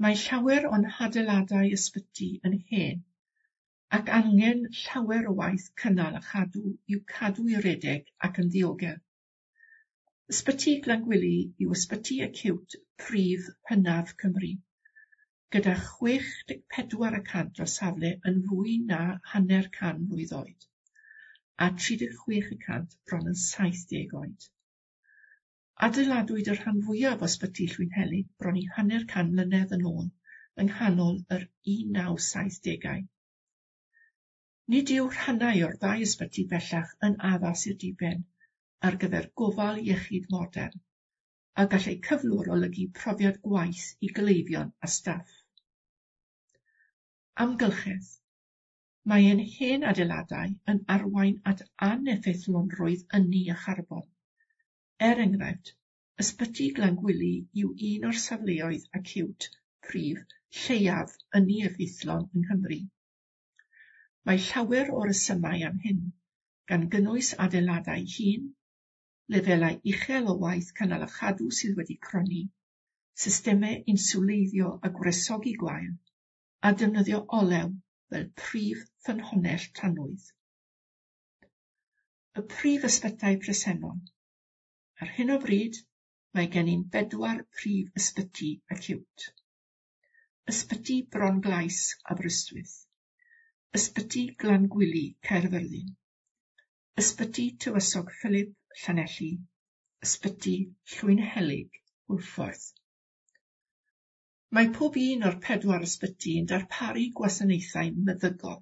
Mae llawer o'n hadeiladau ysbyty yn hen ac angen llawer o waith cynnal a chadw i'w cadw i redeg ac yn ddiogel. Ysbyty Glangwili yw ysbyty acíwt prif hynaf Cymru, gyda chwech deg pedwar y cant o'r safle yn fwy na hanner can mlwydd oed, a tri deg chwech y cant bron yn saith deg oed. Adeiladwyd y rhan fwyaf o Ysbyty Llwynhelyg bron i hanner can mlynedd yn ôl yng nghanol yr un naw saith degau. Nid yw rhannau o'r ddau ysbyty bellach yn addas i'r diben ar gyfer gofal iechyd modern, a gall eu cyflwr olygu profiad gwaith i gleifion a staff. Amgylchedd. Mae ein hen adeiladau yn arwain at aneffeithlonrwydd ynni a charbon. Er enghraifft, Ysbyty Glangwili yw un o'r safleoedd acíwt prif lleiaf ynni effeithlon yng Nghymru. Mae llawer o resymau am hyn, gan gynnwys adeiladau hŷn, lefelau uchel o waith cynnal a chadw sydd wedi cronni, systemau inswleiddio a gwresogi gwael, a defnyddio olew fel prif ffynhonnell tanwydd. Y prif ysbytai presennol. Ar hyn o bryd, mae gennym bedwar prif ysbyty acíwt. Ysbyty Bron-glais Aberystwyth, Ysbyty Glangwili Caerfyrddin, Ysbyty Tywysog Philip Llanelli, Ysbyty Llwynhelyg Hwlffordd. Mae pob un o'r pedwar ysbyty yn darparu gwasanaethau meddygol.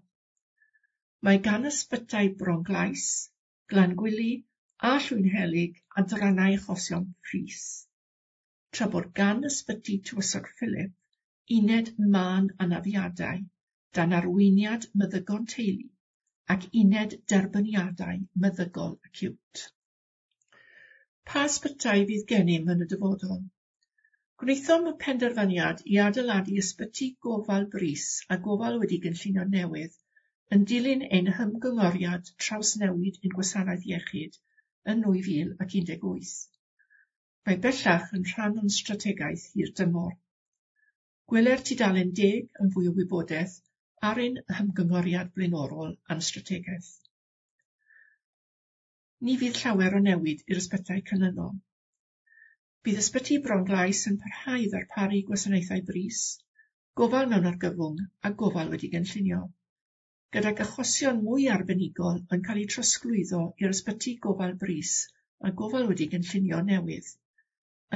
Mae gan ysbytai Bron-glais, Glangwili a Llwynhelyg adrannau achosion frys, tra bod gan Ysbyty Tywysog Philip uned mân anafiadau dan arweiniad meddygon teulu ac uned derbyniadau meddygol acíwt. Pa ysbytai fydd gennym yn y dyfodol? Gwnaethom y penderfyniad i adeiladu ysbyty gofal brys a gofal wedi gynllunio newydd yn dilyn ein hymgynghoriad trawsnewid ein gwasanaeth iechyd yn nwy fil ac un deg wyth. Mae bellach yn rhan o'n strategaeth hir dymor. Gweler tudalen deg yn fwy o wybodaeth ar ein hymgynghoriad blaenorol a'n strategaeth. Ni fydd llawer o newid i'r ysbytai canlynol. Bydd Ysbyty Bron-glais yn parhau i ddarparu gwasanaethau brys, gofal mewn argyfwng a gofal wedi gynllunio, gydag achosion mwy arbenigol yn cael eu trosglwyddo i'r ysbyty gofal brys a gofal wedi gynllunio newydd,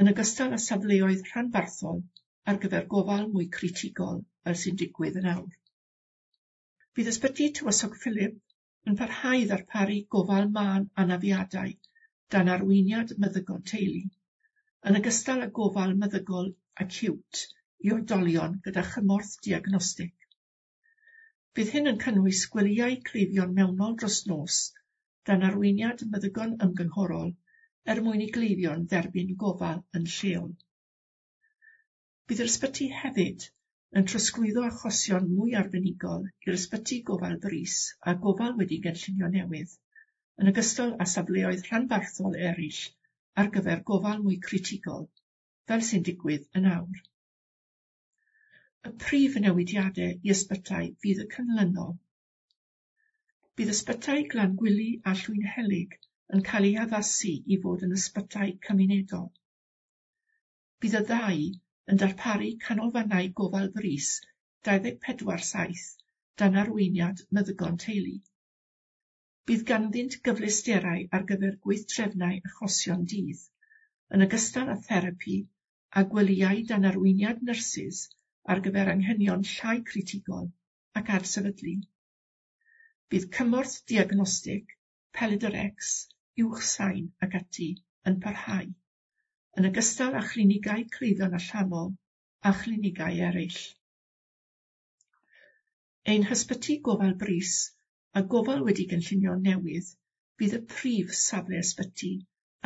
yn ogystal â safleoedd rhanbarthol ar gyfer gofal mwy critigol fel sy'n digwydd yn awr. Bydd Ysbyty Tywysog Philip yn parhau i ddarparu gofal mân anafiadau dan arweiniad meddygon teulu, yn ogystal â gofal meddygol acíwt i oedolion gyda chymorth diagnostig. Bydd hyn yn cynnwys gwelyau cleifion mewnol dros nos dan arweiniad meddygon ymgynghorol er mwyn i gleifion dderbyn gofal yn lleol. Bydd yr ysbyty hefyd yn trosglwyddo achosion mwy arbenigol i'r ysbyty gofal brys a gofal wedi gynllunio newydd, yn ogystal â safleoedd rhanbarthol eraill ar gyfer gofal mwy critigol, fel sy'n digwydd yn awr. Y prif newidiadau i ysbytai fydd y canlynol. Bydd ysbytai Glangwili a Llwynhelyg yn cael eu haddasu i fod yn ysbytai cymunedol. Bydd y ddau yn darparu canolfannau gofal brys dau ddeg pedwar saith dan arweiniad meddygon teulu. Bydd ganddynt gyfleusterau ar gyfer gweithdrefnau achosion dydd, yn ogystal â therapi a gwelyau dan arweiniad nyrsys ar gyfer anghenion llai critigol ac adsefydlu. Bydd cymorth diagnostig, pelydr X, uwchsain ac ati yn parhau, yn ogystal â chlinigau cleifion allanol a chlinigau eraill. Ein hysbyty gofal brys a gofal wedi gynllunio newydd fydd y prif safle ysbyty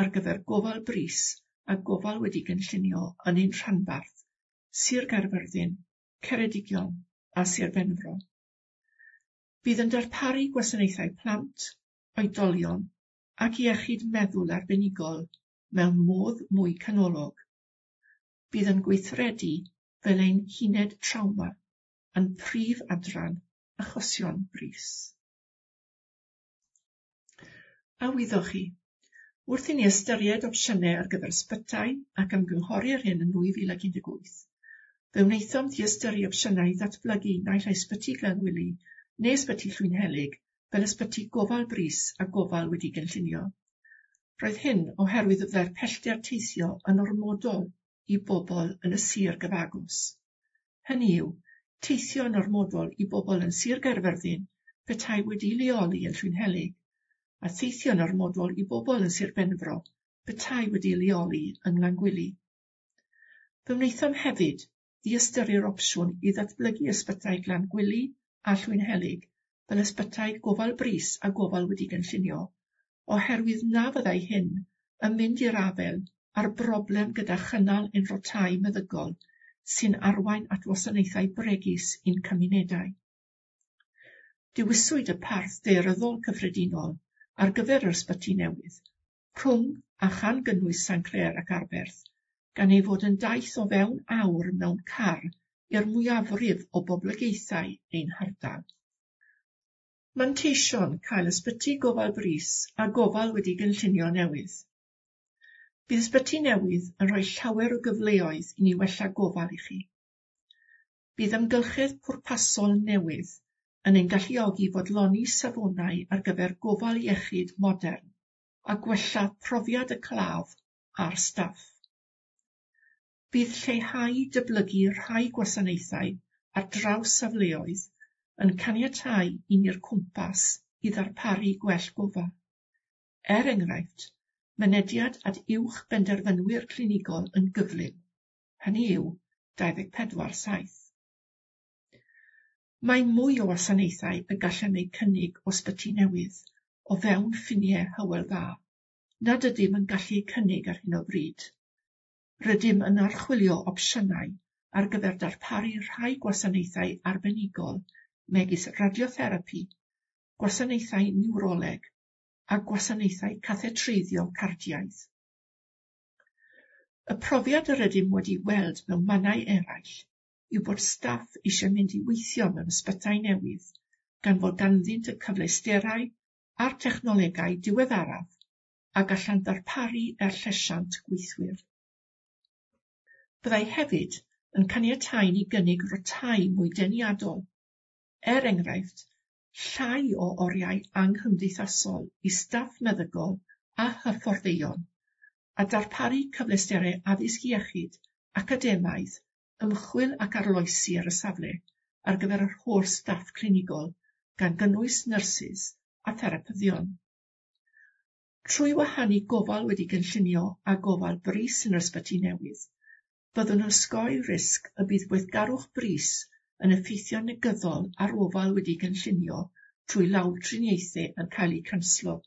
ar gyfer gofal brys a gofal wedi gynllunio yn ein rhanbarth, Sir Gaerfyrddin, Ceredigion a Sir Benfro. Bydd yn darparu gwasanaethau plant, oedolion ac iechyd meddwl arbenigol mewn modd mwy canolog. Bydd yn gweithredu fel ein huned trawma a'n prif adran achosion brys. A wyddoch chi, wrth i ni ystyried opsiynau ar gyfer ysbytai ac ymgynghori ar hyn yn nwy fil ac un deg wyth, fe wnaethom ddiystyru opsiynau i ddatblygu naill ai ysbyty Glangwili neu ysbyty Llwynhelyg fel ysbyty gofal brys a gofal wedi gynllunio. Roedd hyn oherwydd y byddai'r pellter teithio yn ormodol i bobl yn y sir gyfagos. Hynny yw, teithio yn ormodol i bobl yn Sir Gaerfyrddin petai wedi leoli yn Llwynhelyg, a theithio yn ormodol i bobl yn Sir Benfro petai wedi leoli yng Nglangwili. Fe wnaethom hefyd ddiystyru'r opsiwn i ddatblygu ysbytai Glangwili a Llwynhelyg fel ysbytai gofal brys a gofal wedi gynllunio, oherwydd na fyddai hyn yn mynd i'r afael â'r broblem gyda chynnal ein rotâu meddygol sy'n arwain at wasanaethau bregus i'n cymunedau. Dewiswyd y parth daearyddol cyffredinol ar gyfer yr ysbyty newydd, rhwng a chan gynnwys Sanclêr ac Arberth, gan ei fod yn daith o fewn awr mewn car i'r mwyafrif o boblogaethau ein hardal. Manteision cael ysbyty gofal brys a gofal wedi gynllunio newydd. Bydd ysbyty newydd yn rhoi llawer o gyfleoedd i ni wella gofal i chi. Bydd amgylchedd pwrpasol newydd yn ein galluogi fodloni safonau ar gyfer gofal iechyd modern a gwella profiad y claf a'r staff. Bydd lleihau dyblygu rhai gwasanaethau ar draws safleoedd yn caniatáu i ni'r cwmpas i ddarparu gwell gofal. Er enghraifft, mynediad at uwch benderfynwyr clinigol yn gyflym, hynny yw dau ddeg pedwar saith. Mae mwy o wasanaethau y gallem eu cynnig o ysbyty newydd o fewn ffiniau Hywel Dda, nad ydym yn gallu eu cynnig ar hyn o bryd. Rydym yn archwilio opsiynau ar gyfer darparu rhai gwasanaethau arbenigol megis radiotherapi, gwasanaethau niwroleg a gwasanaethau cathetreiddio cardiaidd. Y profiad yr ydym wedi weld mewn mannau eraill yw bod staff eisiau mynd i weithio mewn ysbytai newydd gan fod ganddynt y cyfleusterau a'r technolegau diweddaraf a gallant ddarparu er llesiant gweithwyr. Byddai hefyd yn caniatáu ni gynnig rotâu mwy deniadol, er enghraifft, llai o oriau anghymdeithasol i staff meddygol a hyfforddeion, a darparu cyfleusterau addysg iechyd, academaidd, ymchwil ac arloesi ar y safle ar gyfer yr holl staff clinigol, gan gynnwys nyrsys a therapyddion. Trwy wahanu gofal wedi gynllunio a gofal brys yn yr ysbyty newydd, byddwn yn osgoi risg y bydd gweithgarwch brys yn effeithio'n negyddol ar ofal wedi gynllunio trwy lawdriniaethau yn cael eu canslo.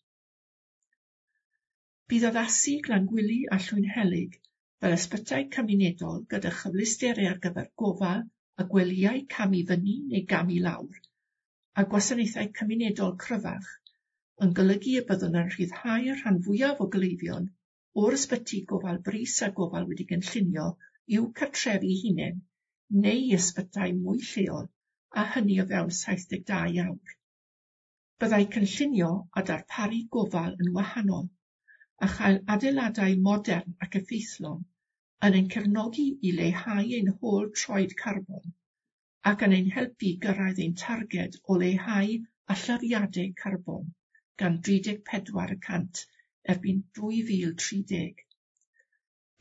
Bydd addasu Glangwili a Llwynhelyg fel ysbytai cymunedol gyda chyfleusterau ar gyfer gofal a gwelyau cam i fyny neu gam i lawr, a gwasanaethau cymunedol cryfach, yn golygu y byddwn yn rhyddhau'r rhan fwyaf o gleifion o'r ysbyty gofal brys a gofal wedi gynllunio i'w cartrefi hunain neu i ysbytai mwy lleol, a hynny o fewn saith deg dau awr. Byddai cynllunio a darparu gofal yn wahanol, a chael adeiladau modern ac effeithlon yn ein cefnogi i leihau ein hôl troed carbon ac yn ein helpu gyrraedd ein targed o leihau allyriadau carbon gan dri deg pedwar y cant erbyn dwy fil tri deg.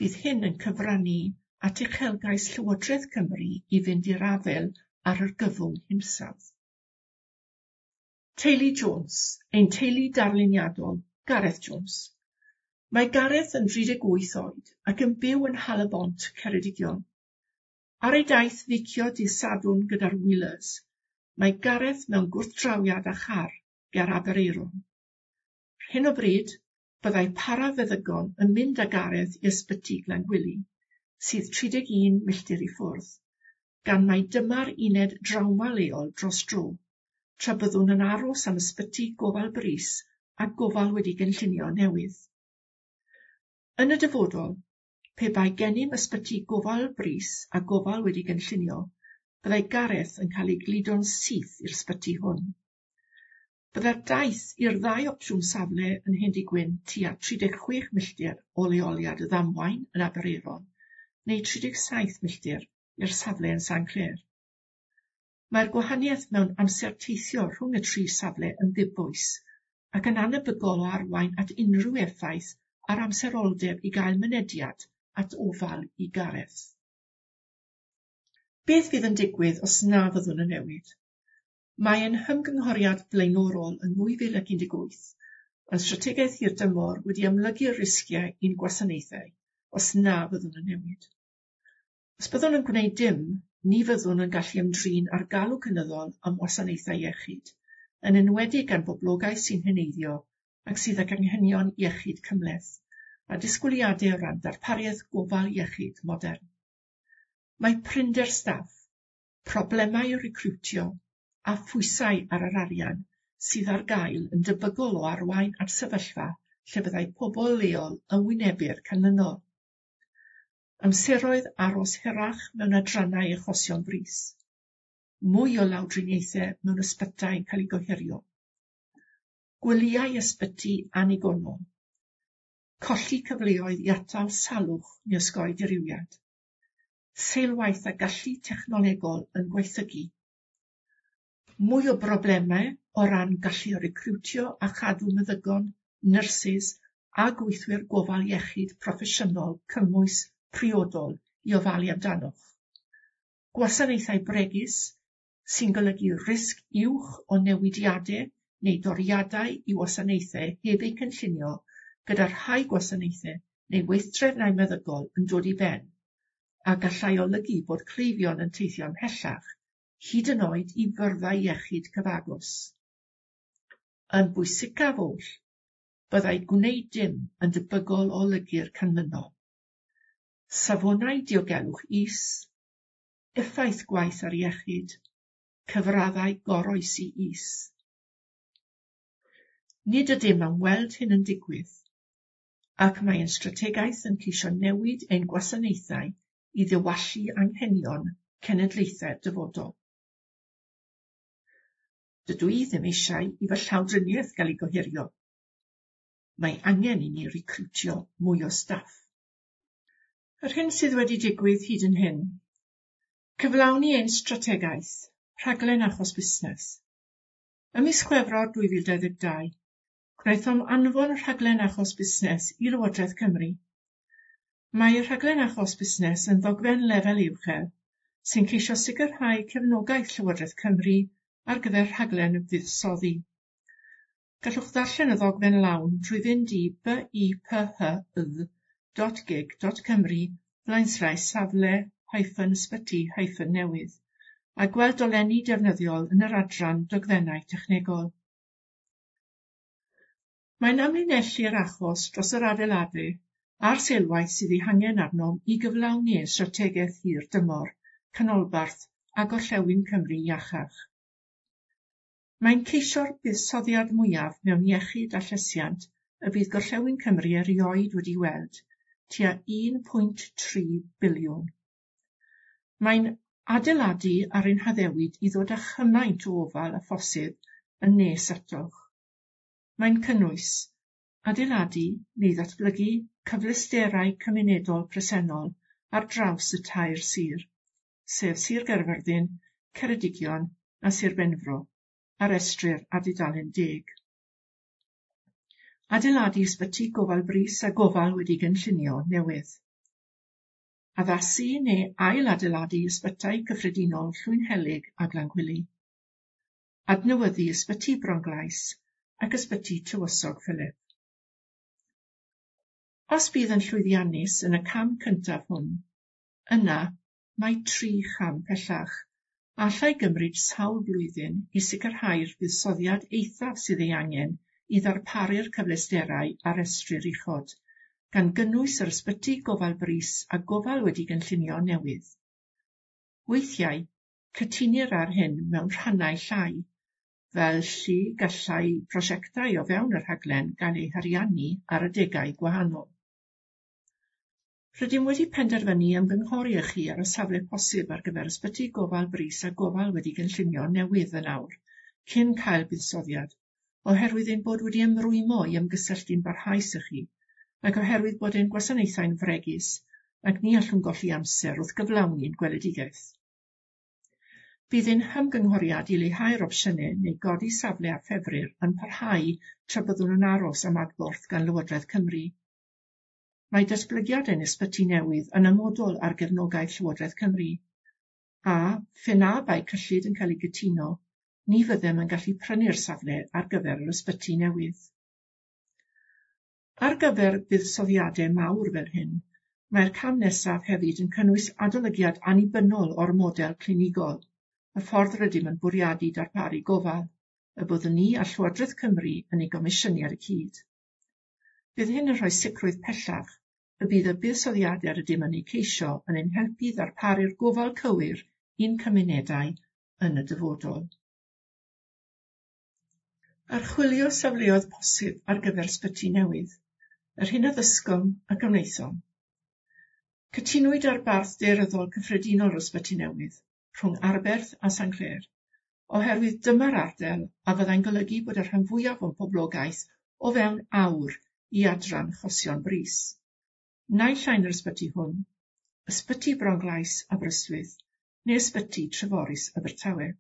Bydd hyn yn cyfrannu at uchelgais Llywodraeth Cymru i fynd i'r afael ar argyfwng hinsawdd. Teulu Jones, ein teulu darluniadol, Gareth Jones. Mae Gareth yn dri deg wyth oed ac yn byw yn Nhalybont, Ceredigion. Ar ei daith feicio dydd Sadwrn gyda'r Wheelers, mae Gareth mewn gwrthdrawiad â char ger Aberaeron. Ar hyn o bryd, byddai parafeddygon yn mynd â Gareth i ysbyty Glangwili, sydd tri deg un milltir i ffwrdd, gan mai dyma'r uned drawma leol dros dro, tra byddwn yn aros am ysbyty gofal brys a gofal wedi gynllunio newydd. Yn y dyfodol, pe bai gennym ysbyty gofal brys a gofal wedi gynllunio, byddai Gareth yn cael ei gludo'n syth i'r ysbyty hwn. Byddai'r daith i'r ddau opsiwn safle yn Hendy-gwyn tua tri deg chwech milltir o leoliad y ddamwain yn Aberaeron, neu tri deg saith milltir i'r safle yn Sanclêr. Mae'r gwahaniaeth mewn amser teithio rhwng y tri safle yn ddibwys, ac yn anebygol o arwain at unrhyw effaith ar amseroldeb i gael mynediad at ofal i Gareth. Beth fydd yn digwydd os na fyddwn yn newid? Mae ein hymgynghoriad blaenorol yn nwy fil ac un deg wyth yn strategaeth hirdymor wedi amlygu'r risgiau i'n gwasanaethau os na fyddwn yn newid. Os byddwn yn gwneud dim, ni fyddwn yn gallu ymdrin â'r galw cynyddol am wasanaethau iechyd, yn enwedig gan boblogaeth sy'n heneiddio ac sydd ag anghenion iechyd cymhleth, a disgwyliadau o ran darpariaeth gofal iechyd modern. Mae prinder staff, problemau recriwtio a phwysau ar yr arian sydd ar gael yn debygol o arwain at sefyllfa lle byddai pobl leol yn wynebu'r canlynol. Amseroedd aros hirach mewn adrannau achosion brys. Mwy o lawdriniaethau mewn ysbytai yn cael eu gohirio. Gwelyau ysbyty annigonol. Colli cyfleoedd i atal salwch neu osgoi dirywiad. Seilwaith a gallu technolegol yn gwaethygu. Mwy o broblemau o ran gallu recriwtio a chadw meddygon, nyrsys a gweithwyr gofal iechyd proffesiynol cymwys priodol i ofalu amdanoch. Gwasanaethau bregus sy'n golygu risg uwch o newidiadau neu doriadau i wasanaethau heb eu cynllunio gyda rhai gwasanaethau neu weithdrefnau meddygol yn dod i ben, a gallai olygu bod cleifion yn teithio ymhellach, hyd yn oed i fyrddau iechyd cyfagos. Yn bwysicaf oll, byddai gwneud dim yn debygol o olygu'r canlynol. Safonau diogelwch is, effaith gwaith ar iechyd, cyfraddau goroesi is. Nid ydym am weld hyn yn digwydd, ac mae ein strategaeth yn ceisio newid ein gwasanaethau i ddiwallu anghenion cenedlaethau'r dyfodol. Dydw i ddim eisiau i fy llawdriniaeth gael ei gohirio. Mae angen i ni recriwtio mwy o staff. Yr hyn sydd wedi digwydd hyd yn hyn. Cyflawni ein strategaeth, rhaglen achos busnes. Ym mis Chwefror dwy fil dau ddeg dau, gwnaethom anfon rhaglen achos busnes i Lywodraeth Cymru. Mae rhaglen achos busnes yn ddogfen lefel uchel sy'n ceisio sicrhau cefnogaeth Llywodraeth Cymru ar gyfer rhaglen fuddsoddi. Gallwch ddarllen y ddogfen lawn trwy fynd i b i p h y dot gig dot cymru blaenslaes safle hyphen ysbyty hyphen newydd a gweld dolenni defnyddiol yn yr adran dogfennau technegol. Mae'n amlinellu'r achos dros yr adeiladu a'r seilwaith sydd ei hangen arnom i gyflawni ein strategaeth hir dymor, canolbarth a gorllewin Cymru iachach. Mae'n ceisio'r buddsoddiad mwyaf mewn iechyd a llesiant y bydd gorllewin Cymru erioed wedi weld, tua un pwynt tri biliwn. Mae'n adeiladu ar ein haddewid i ddod â chymaint o ofal a phosib yn nes atoch. Mae'n cynnwys adeiladu neu ddatblygu cyfleusterau cymunedol presennol ar draws y tair sir, sef Sir Gaerfyrddin, Ceredigion a Sir Benfro, a restrir ar dudalen deg. Adeiladu ysbyty gofal brys a gofal wedi gynllunio newydd. Addasu neu ail-adeiladu ysbytai cyffredinol Llwynhelyg a Glangwili. Adnewyddu ysbyty Bronglais ac ysbyty Tywysog Philip. Os bydd yn llwyddiannus yn y cam cyntaf hwn, yna mae tri cham pellach, a allai gymryd sawl blwyddyn i sicrhau'r buddsoddiad eithaf sydd ei angen i ddarparu'r cyfleusterau a restrir uchod, gan gynnwys yr ysbyty gofal brys a gofal wedi gynllunio newydd. Weithiau, cytunir ar hyn mewn rhannau llai, fel lle gallai prosiectau o fewn y rhaglen gael eu hariannu ar adegau gwahanol. Rydym wedi penderfynu ymgynghori â chi ar y safle posib ar gyfer ysbyty gofal brys a gofal wedi gynllunio newydd yn awr, cyn cael buddsoddiad, oherwydd ein bod wedi ymrwymo i ymgysylltu'n barhaus â chi, ac oherwydd bod ein gwasanaethau'n fregus ac ni allwn golli amser wrth gyflawni'n gweledigaeth. Bydd ein hymgynghoriad i leihau'r opsiynau neu godi safle a ffefrir yn parhau tra byddwn yn aros am adborth gan Lywodraeth Cymru. Mae datblygiad ein ysbyty newydd yn amodol ar gefnogaeth Llywodraeth Cymru, a phe na bai cyllid yn cael ei gytuno, ni fyddem yn gallu prynu'r safle ar gyfer yr ysbyty newydd. Ar gyfer buddsoddiadau mawr fel hyn, mae'r cam nesaf hefyd yn cynnwys adolygiad annibynnol o'r model clinigol, y ffordd rydym yn bwriadu darparu gofal, y byddwn ni a Llywodraeth Cymru yn ei gomisiynu ar y cyd. Bydd hyn yn rhoi sicrwydd pellach y bydd y buddsoddiadau rydym yn eu ceisio yn ein helpu ddarparu'r gofal cywir i'n cymunedau yn y dyfodol. Archwilio safleoedd posib ar gyfer ysbyty newydd, yr hyn a ddysgom ac a wnaethom. Cytunwyd ar barth daearyddol cyffredinol yr ysbyty newydd, rhwng Arberth a Sanclêr, oherwydd dyma'r ardal a fyddai'n golygu bod y rhan fwyaf o'n poblogaeth o fewn awr i adran achosion brys. Naill ai yn yr ysbyty hwn, ysbyty Bronglais Aberystwyth, neu ysbyty Treforys Abertawe.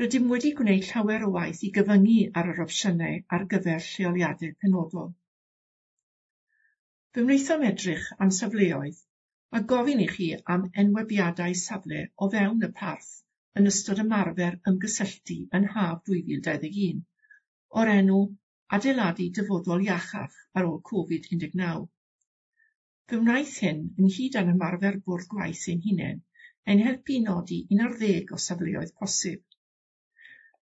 Rydym wedi gwneud llawer o waith i gyfyngu ar yr opsiynau ar gyfer lleoliadau penodol. Fe wnaethom edrych am safleoedd a gofyn i chi am enwebiadau safle o fewn y parth yn ystod ymarfer ymgysylltu yn haf dwy fil dau ddeg un, o'r enw Adeiladu Dyfodol Iachach ar ôl Covid un deg naw. Fe wnaeth hyn, ynghyd â'n ymarfer bwrdd gwaith ein hunain, ein helpu i nodi un ar ddeg o safleoedd posib.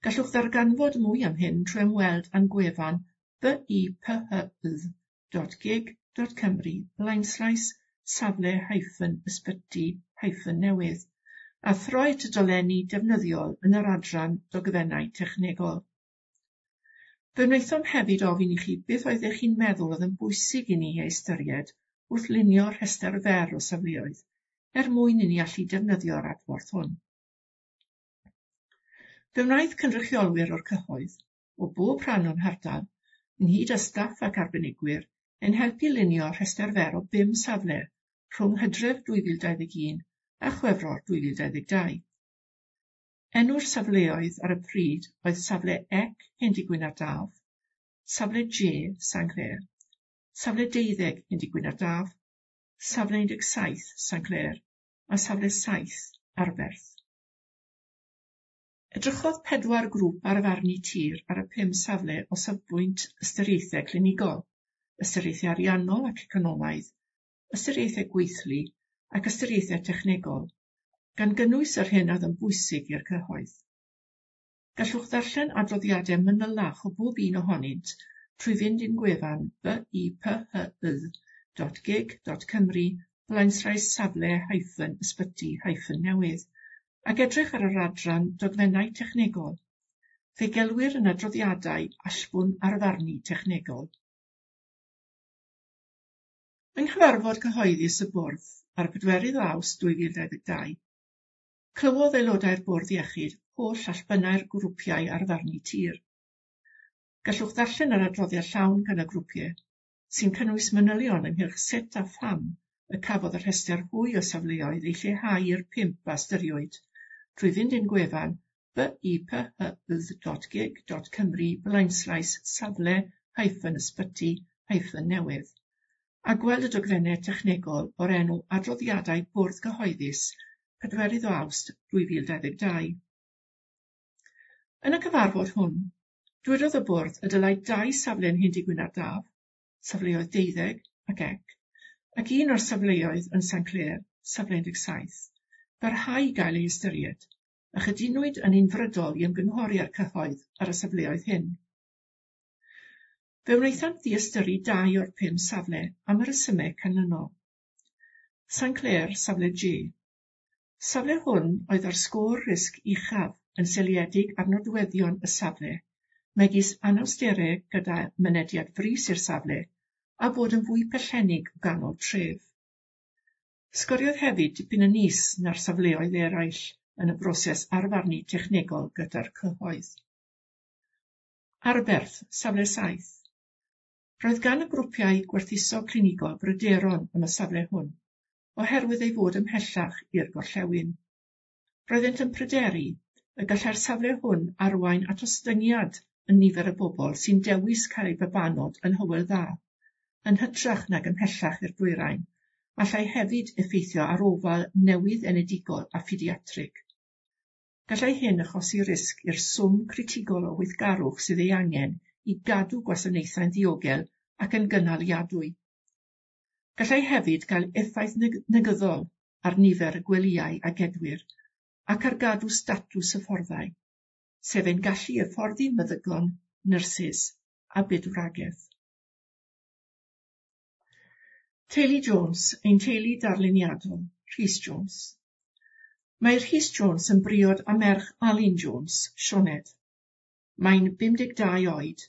Gallwch ddarganfod mwy am hyn trwy ymweld â'n gwefan b i p h y dot gig dot cymru blaenslaes safle hyphen ysbyty hyphen newydd a throi at y dolenni defnyddiol yn yr adran dogfennau technegol. Fe wnaethom hefyd ofyn i chi beth oeddech chi'n meddwl oedd yn bwysig i ni ei ystyried wrth lunio rhestr fer o safleoedd, er mwyn i ni allu defnyddio'r adborth hwn. Fe wnaeth cynrychiolwyr o'r cyhoedd, o bob rhan o'n hardal, ynghyd â staff ac arbenigwyr, ein helpu lunio rhestr fer o bum safle rhwng Hydref dwy fil dau ddeg un a Chwefror dwy fil dau ddeg dau. Enw'r safleoedd ar y pryd oedd safle E C Hendy-gwyn ar Daf, safle J Sanclêr, safle deuddeg Hendy-gwyn ar Daf, safle un deg saith Sanclêr a safle saith Arberth. Edrychodd pedwar grŵp ar farnu tir ar y pum safle o safbwynt ystyriaethau clinigol, ystyriaethau ariannol ac economaidd, ystyriaethau gweithlu ac ystyriaethau technegol, gan gynnwys yr hyn oedd yn bwysig i'r cyhoedd. Gallwch ddarllen adroddiadau manylach o bob un ohonynt trwy fynd i'n gwefan b i p h y dot gig dot cymru blaenslaes safle hyphen ysbyty hyphen newydd ac edrych ar yr adran dogfennau technegol. Fe gelwir yn adroddiadau allbwn arfarnu technegol. Yng nghyfarfod cyhoeddus y bwrdd ar pedwerydd o Awst dwy fil dau ddeg dau, clywodd aelodau'r bwrdd iechyd holl allbynnau'r grwpiau arfarnu tir. Gallwch ddarllen yr adroddiad llawn gan y grwpiau, sy'n cynnwys manylion ynghylch sut a pham y cafodd y rhestr hwy o safleoedd ei lleihau i'r pump a ystyriwyd, trwy fynd i'n gwefan b i p h y dot gig dot cymru blaenslaes safle hyphen ysbyty hyphen newydd, a gweld y dogfennau technegol o'r enw Adroddiadau Bwrdd Cyhoeddus pedwerydd o Awst dwy fil dau ddeg dau. Yn y cyfarfod hwn, dwedodd y bwrdd y dylai dau safle yn Hendy-gwyn ar Daf, safleoedd deuddeg ac ec, ac un o'r safleoedd yn Sanclêr, safle un deg saith, barhau i gael ei ystyried, a chydunwyd yn unfrydol i ymgynghori â'r cyhoedd ar y safleoedd hyn. Fe wnaethant ddiystyru dau o'r pum safle am y rhesymau canlynol. Sanclêr, safle G. Safle hwn oedd ar sgôr risg uchaf yn seiliedig ar nodweddion y safle, megis anawsterau gyda mynediad frys i'r safle a bod yn fwy pellennig o ganol tref. Sgoriodd hefyd dipyn yn is na'r safleoedd eraill yn y broses arfarnu technegol gyda'r cyhoedd. Arberth, safle saith. Roedd gan y grwpiau gwerthuso clinigol bryderon am y safle hwn, oherwydd ei fod ymhellach i'r gorllewin. Roeddent yn pryderu y gallai'r safle hwn arwain at ostyngiad yn nifer y bobl sy'n dewis cael eu babanod yn Hywel Dda, yn hytrach nag ymhellach i'r dwyrain, allai hefyd effeithio ar ofal newydd enedigol a phediatrig. Gallai hyn achosi risg i'r swm critigol o weithgarwch sydd ei angen i gadw gwasanaethau'n ddiogel ac yn gynaliadwy. Gallai hefyd gael effaith negyddol ar nifer y gwelyau a gedwir ac ar gadw statws hyfforddai, sef ein gallu hyfforddi meddygon, nyrsys a bydwragedd. Teulu Jones, ein teulu darluniadol, Rhys Jones. Mae Rhys Jones yn briod â merch Alun Jones, Sioned. Mae'n bum deg dau oed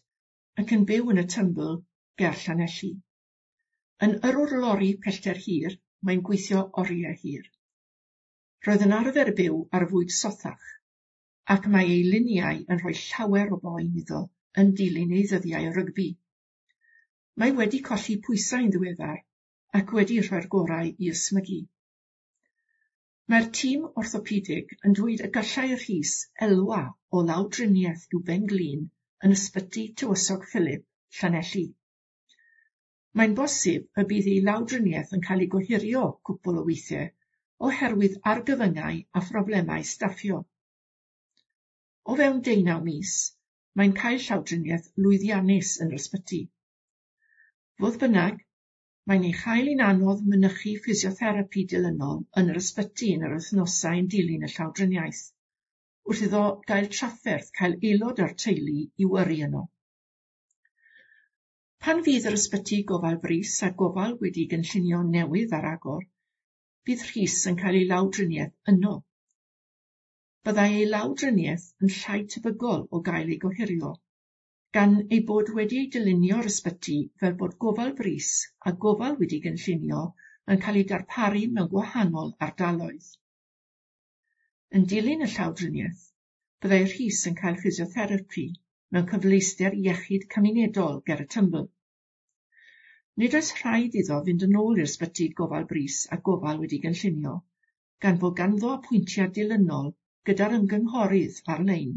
ac yn byw yn y Tymbl ger Llanelli. Yn yrrwr lori pellter hir, mae'n gweithio oriau hir. Roedd yn arfer byw ar fwyd sothach, ac mae ei luniau yn rhoi llawer o boen iddo yn dilyn ei ddyddiau o rygbi. Mae wedi colli pwysau'n ddiweddar ac wedi rhoi'r gorau i ysmygu. Mae'r tîm orthopedig yn dweud y gallai Rhys elwa o lawdriniaeth i'w ben-glin yn ysbyty Tywysog Philip, Llanelli. Mae'n bosib y bydd ei lawdriniaeth yn cael ei gohirio cwpl o weithiau oherwydd argyfyngau a phroblemau staffio. O fewn deunaw mis, mae'n cael llawdriniaeth lwyddiannus yn yr ysbyty. Fodd bynnag, mae'n ei chael hi'n anodd mynychu ffisiotherapi dilynol yn yr ysbyty yn yr wythnosau yn dilyn y llawdriniaeth, wrth iddo gael trafferth cael aelod o'r teulu i yrru yno. Pan fydd yr ysbyty gofal brys a gofal wedi gynllunio newydd ar agor, bydd Rhys yn cael ei lawdriniaeth yno. Byddai ei lawdriniaeth yn llai tebygol o gael ei gohirio, gan ei bod wedi ei dylunio'r ysbyty fel bod gofal brys a gofal wedi gynllunio yn cael ei darparu mewn gwahanol ardaloedd. Yn dilyn y llawdriniaeth, byddai Rhys yn cael ffisiotherapi mewn cyfleuster iechyd cymunedol ger y Tymbl. Nid oes rhaid iddo fynd yn ôl i'r ysbyty gofal brys a gofal wedi gynllunio, gan fod ganddo apwyntiad dilynol gyda'r ymgynghorydd ar-lein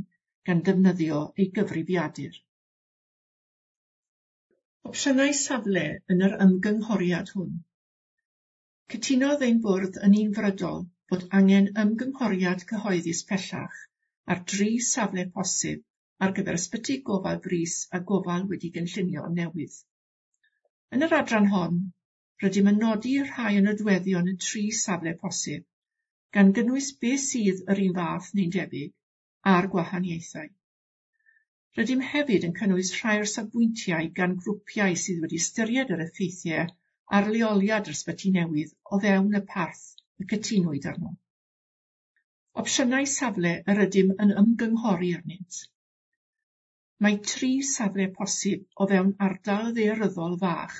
gan ddefnyddio ei gyfrifiadur. Opsiynau safle yn yr ymgynghoriad hwn. Cytunodd ein bwrdd yn unfrydol bod angen ymgynghoriad cyhoeddus pellach ar dri safle posib ar gyfer ysbyty gofal brys a gofal wedi gynllunio newydd. Yn yr adran hon, rydym yn nodi rhai o nodweddion y tri safle posib, gan gynnwys beth sydd yr un fath neu'n debyg a'r gwahaniaethau. Rydym hefyd yn cynnwys rhai o'r safbwyntiau gan grwpiau sydd wedi ystyried yr effeithiau ar leoliad yr ysbyty newydd o fewn y parth y cytunwyd arno. Opsiynau safle yr ydym yn ymgynghori arnynt. Mae tri safle posib o fewn ardal ddaearyddol fach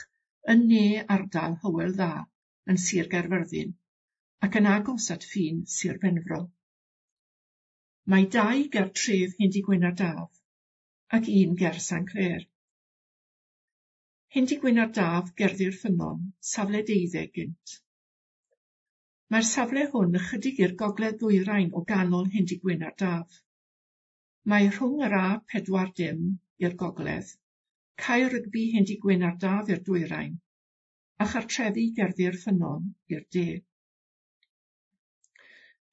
yn ne ardal Hywel Dda yn Sir Gaerfyrddin ac yn agos at ffin Sir Benfro. Mae dau ger tref Hendy-gwyn ar Daf ac un ger Saint Clêr. Hendy-gwyn ar Daf gerddi'r Ffynnon, safle deuddeg gynt. Mae'r safle hwn ychydig i'r gogledd ddwyrain o ganol Hendy-gwyn ar Daf. Mae rhwng yr A pedwar dim i'r gogledd, cae rygbi Hendy-gwyn ar Daf i'r dwyrain, a chartrefi gerddi'r Ffynnon i'r de.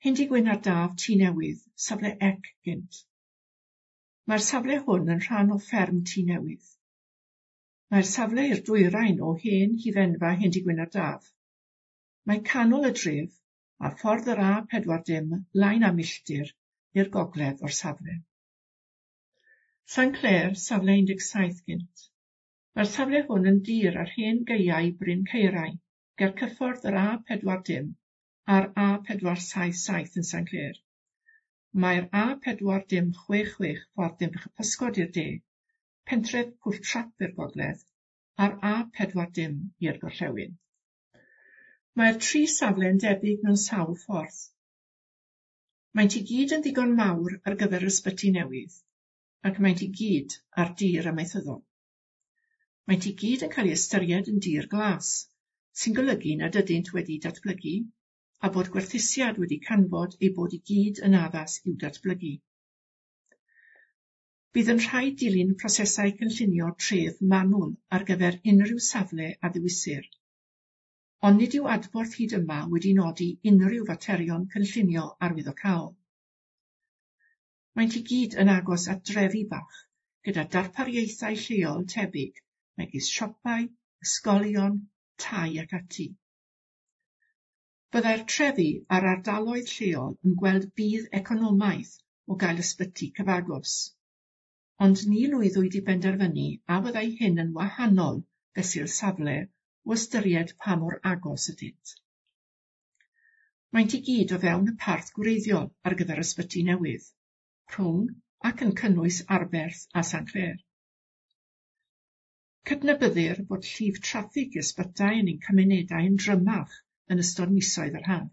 Hendy-gwyn ar Daf Tŷ Newydd, safle ec gynt. Mae'r safle hwn yn rhan o fferm Tŷ Newydd. Mae'r safle i'r dwyrain o hen hufenfa Hendy-gwyn ar Daf. Mae canol y dref a ffordd yr A pedwar dim lai na milltir i'r gogledd o'r safle. Saint Clêr, safle un deg saith gynt. Mae'r safle hwn yn dir ar hen gaeau Bryn Caerau, ger cyffordd yr A pedwar dim a'r A pedwar saith saith yn Saint Clêr. Mae'r A pedwar dim chwech chwech ffordd Dinbych y Pysgod i'r de, pentref Pwll Trap i'r gogledd, a'r A pedwar dim i'r gorllewin. Mae'r tri safle yn debyg mewn sawl ffordd. Maent i gyd yn ddigon mawr ar gyfer yr ysbyty newydd, ac maent i gyd ar dir amaethyddol. Maent i gyd yn cael ei ystyried yn dir glas, sy'n golygu nad ydynt wedi datblygu, a bod gwerthusiad wedi canfod eu bod i gyd yn addas i'w datblygu. Bydd yn rhaid dilyn prosesau cynllunio tref manwl ar gyfer unrhyw safle a ddewisir, ond nid yw adborth hyd yma wedi nodi unrhyw faterion cynllunio arwyddocaol. Maent i gyd yn agos at drefi bach, gyda darpariaethau lleol tebyg, megis siopau, ysgolion, tai ac ati. Byddai'r trefi a'r ardaloedd lleol yn gweld budd economaidd o gael ysbyty cyfagos, ond ni lwyddwyd i benderfynu a fyddai hyn yn wahanol fesul safle o ystyried pa mor agos ydynt. Maent i gyd o fewn y parth gwreiddiol ar gyfer ysbyty newydd, rhwng ac yn cynnwys Arberth a Sanclêr. Cydnabyddir bod llif traffig i ysbytai yn ein cymunedau yn drymach yn ystod misoedd yr haf.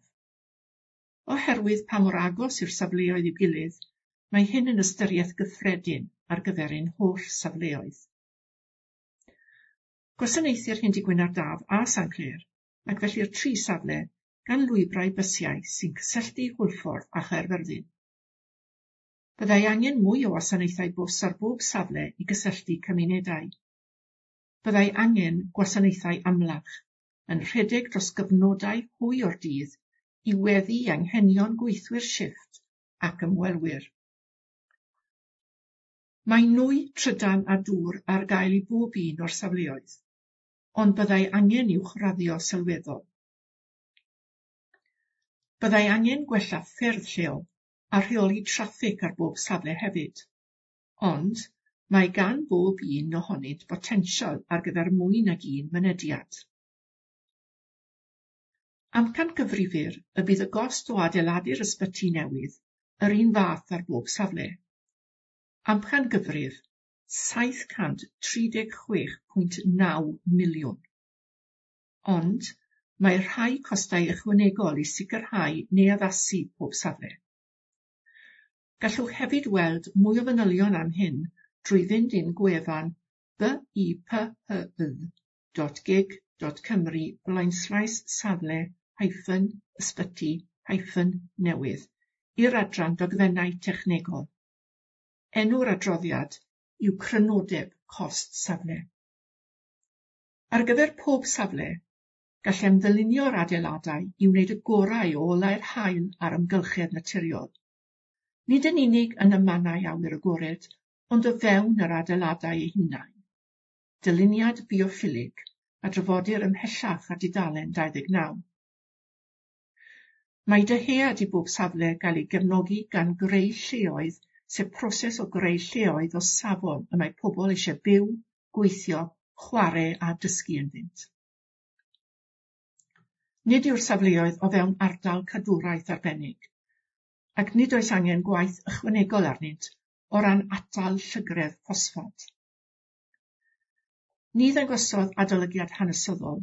Oherwydd pa mor agos yw'r safleoedd i'w gilydd, mae hyn yn ystyriaeth gyffredin ar gyfer ein holl safleoedd. Gwasanaethir Hendy-gwyn ar Daf a Sanclêr, ac felly'r tri safle gan lwybrau bysiau sy'n cysylltu Hwlffordd a Chaerfyrddin. Byddai angen mwy o wasanaethau bws ar bob safle i gysylltu cymunedau. Byddai angen gwasanaethau amlach, yn rhedeg dros gyfnodau hwy o'r dydd i weddu i anghenion gweithwyr shifft ac ymwelwyr. Mae nwy, trydan a dŵr ar gael i bob un o'r safleoedd, ond byddai angen uwchraddio sylweddol. Byddai angen gwella ffyrdd lleol a rheoli traffig ar bob safle hefyd, ond mae gan bob un ohonynt botensial ar gyfer mwy nag un mynediad. Amcangyfrifir y bydd y gost o adeiladu'r ysbyty newydd yr un fath ar bob safle. Amcangyfrif saith cant tri deg chwech pwynt naw miliwn. Ond mae rhai costau ychwanegol i sicrhau neu addasu pob safle. Gallwch hefyd weld mwy o fanylion am hyn drwy fynd i'n gwefan b i p h y dot gig dot cymru blaenslaes safle hyphen ysbyty hyphen newydd i'r adran dogfennau technegol. Enw'r adroddiad yw crynodeb cost safle. Ar gyfer pob safle, gallem ddylunio'r adeiladau i wneud y gorau o olau'r haul a'r amgylchedd naturiol. Nid yn unig yn y mannau awyr agored, ond o fewn yr adeiladau eu hunain. Dyluniad bioffilig a drafodir ymhellach ar dudalen dau ddeg naw. Mae dyhead i bob safle gael ei gefnogi gan greu lleoedd, sef proses o greu lleoedd o safon y mae pobl eisiau byw, gweithio, chwarae a dysgu ynddynt. Nid yw'r safleoedd o fewn ardal cadwraeth arbennig, ac nid oes angen gwaith ychwanegol arnynt o ran atal llygredd ffosffad. Ni ddangosodd adolygiad hanesyddol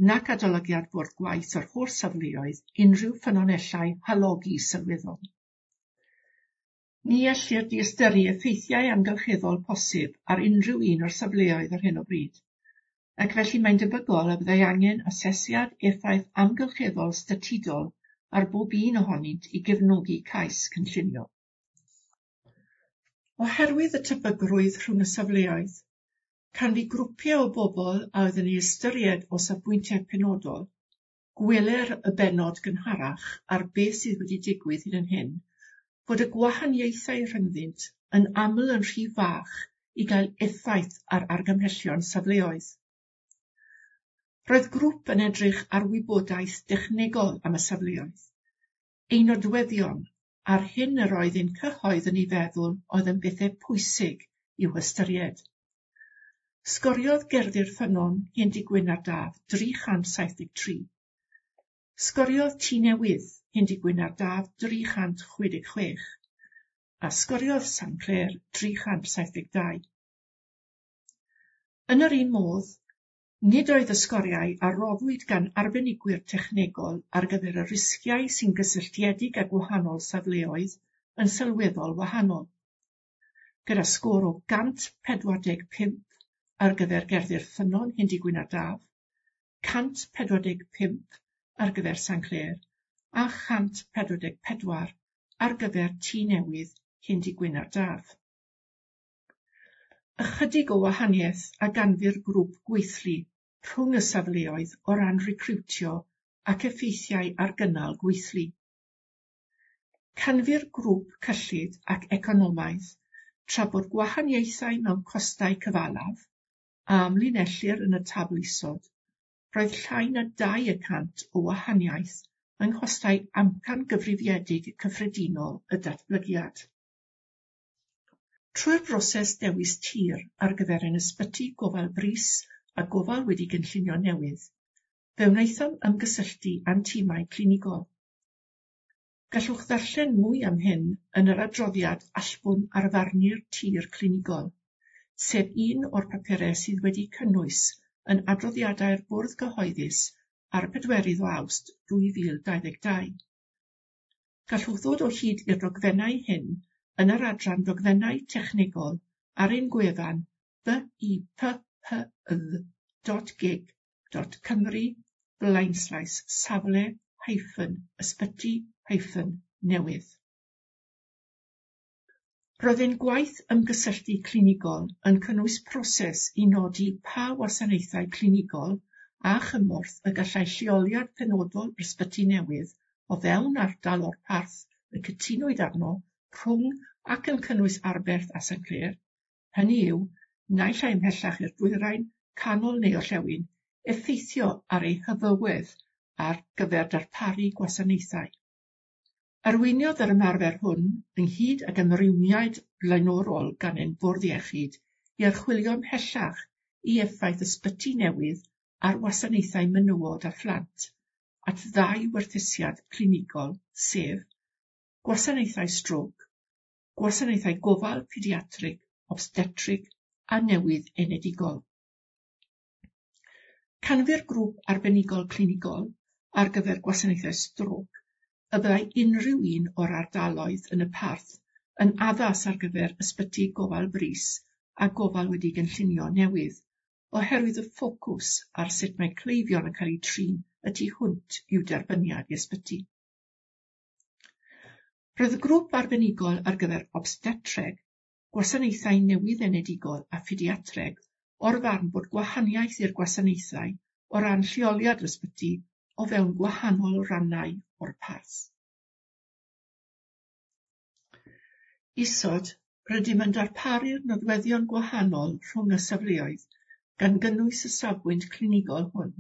nac adolygiad bwrdd gwaith o'r holl safleoedd unrhyw ffynonellau halogi sylweddol. Ni ellir diystyru effeithiau amgylcheddol posib ar unrhyw un o'r safleoedd ar hyn o bryd, ac felly mae'n debygol y byddai angen asesiad effaith amgylcheddol statudol ar bob un ohonynt i gefnogi cais cynllunio. Oherwydd y tebygrwydd rhwng y safleoedd, canfu grwpiau o bobl a oedd yn ei ystyried o safbwyntiau penodol, gweler y bennod gynharach ar beth sydd wedi digwydd hyd yn hyn, fod y gwahaniaethau rhyngddynt yn aml yn rhy fach i gael effaith ar argymhellion safleoedd. Roedd grŵp yn edrych ar wybodaeth dechnegol am y safleoedd, ei nodweddion a'r hyn yr oedd ein cyhoedd yn ei feddwl oedd yn bethau pwysig i'w hystyried. Sgoriodd Gerddi'r Ffynnon Hendy-gwyn ar Daf dri chant saith deg tri. Sgoriodd Tŷ Newydd Hendy-gwyn ar Daf dri chant chwe deg chwech a sgoriodd Sanclêr dri chant saith deg dau. Yn yr un modd, nid oedd y sgoriau a roddwyd gan arbenigwyr technegol ar gyfer y risgiau sy'n gysylltiedig â gwahanol safleoedd yn sylweddol wahanol, gyda sgôr o gant pedwar deg pump ar gyfer Gerddi'r Ffynnon Hendy-gwyn ar Daf, cant pedwar deg pump ar gyfer Sanclêr a chant pedwar deg pedwar ar gyfer Tŷ Newydd Hendy Gwyn ar Daf. Ychydig o wahaniaeth a ganfu'r grŵp gweithlu rhwng y safleoedd o ran recriwtio ac effeithiau ar gynnal gweithlu. Canfu'r grŵp cyllid ac economaidd tra bod gwahaniaethau mewn costau cyfalaf, a amlinellir yn y tabl isod, roedd llai na dau y cant o wahaniaeth yng nghostau amcangyfrifiedig cyffredinol y datblygiad. Trwy'r broses dewis tir ar gyfer ein ysbyty gofal brys a gofal wedi gynllunio newydd, fe wnaethom ymgysylltu â'n timau clinigol. Gallwch ddarllen mwy am hyn yn yr adroddiad allbwn arfarnu'r tir clinigol, sef un o'r papurau sydd wedi cynnwys yn adroddiadau'r Bwrdd Cyhoeddus ar y pedwerydd o Awst dwy fil dau ddeg dau. Gallwch ddod o hyd i'r dogfennau hyn yn yr adran dogfennau technegol ar ein gwefan b i p h y dot gig dot cymru blaenslaes safle hyphen ysbyty hyphen newydd. Roedd ein gwaith ymgysylltu clinigol yn cynnwys proses i nodi pa wasanaethau clinigol a chymorth y gallai lleoliad penodol yr ysbyty newydd o fewn ardal o'r parth y cytunwyd arno rhwng ac yn cynnwys Arberth a Saint Clear, hynny yw, naill ai ymhellach i'r dwyrain, canol neu orllewin, effeithio ar ei hyfywedd ar gyfer darparu gwasanaethau. Arweiniodd yr ymarfer hwn, ynghyd ag ymrwymiad blaenorol gan ein bwrdd iechyd, i archwilio ymhellach i effaith ysbyty newydd ar wasanaethau menywod a phlant, at ddau werthusiad clinigol, sef gwasanaethau strôc, gwasanaethau gofal pediatrig, obstetrig a newydd enedigol. Canfu'r grŵp arbenigol clinigol ar gyfer gwasanaethau strôc y byddai unrhyw un o'r ardaloedd yn y parth yn addas ar gyfer ysbyty gofal brys a gofal wedi gynllunio newydd, oherwydd y ffocws ar sut mae cleifion yn cael eu trin y tu hwnt i'w derbyniad i ysbyty. Roedd y grŵp arbenigol ar gyfer obstetreg, gwasanaethau newydd enedigol a phediatreg o'r farn bod gwahaniaeth i'r gwasanaethau o ran lleoliad yr ysbyty o fewn gwahanol rannau o'r parth. Isod, rydym yn darparu'r nodweddion gwahanol rhwng y safleoedd, gan gynnwys y safbwynt clinigol hwn.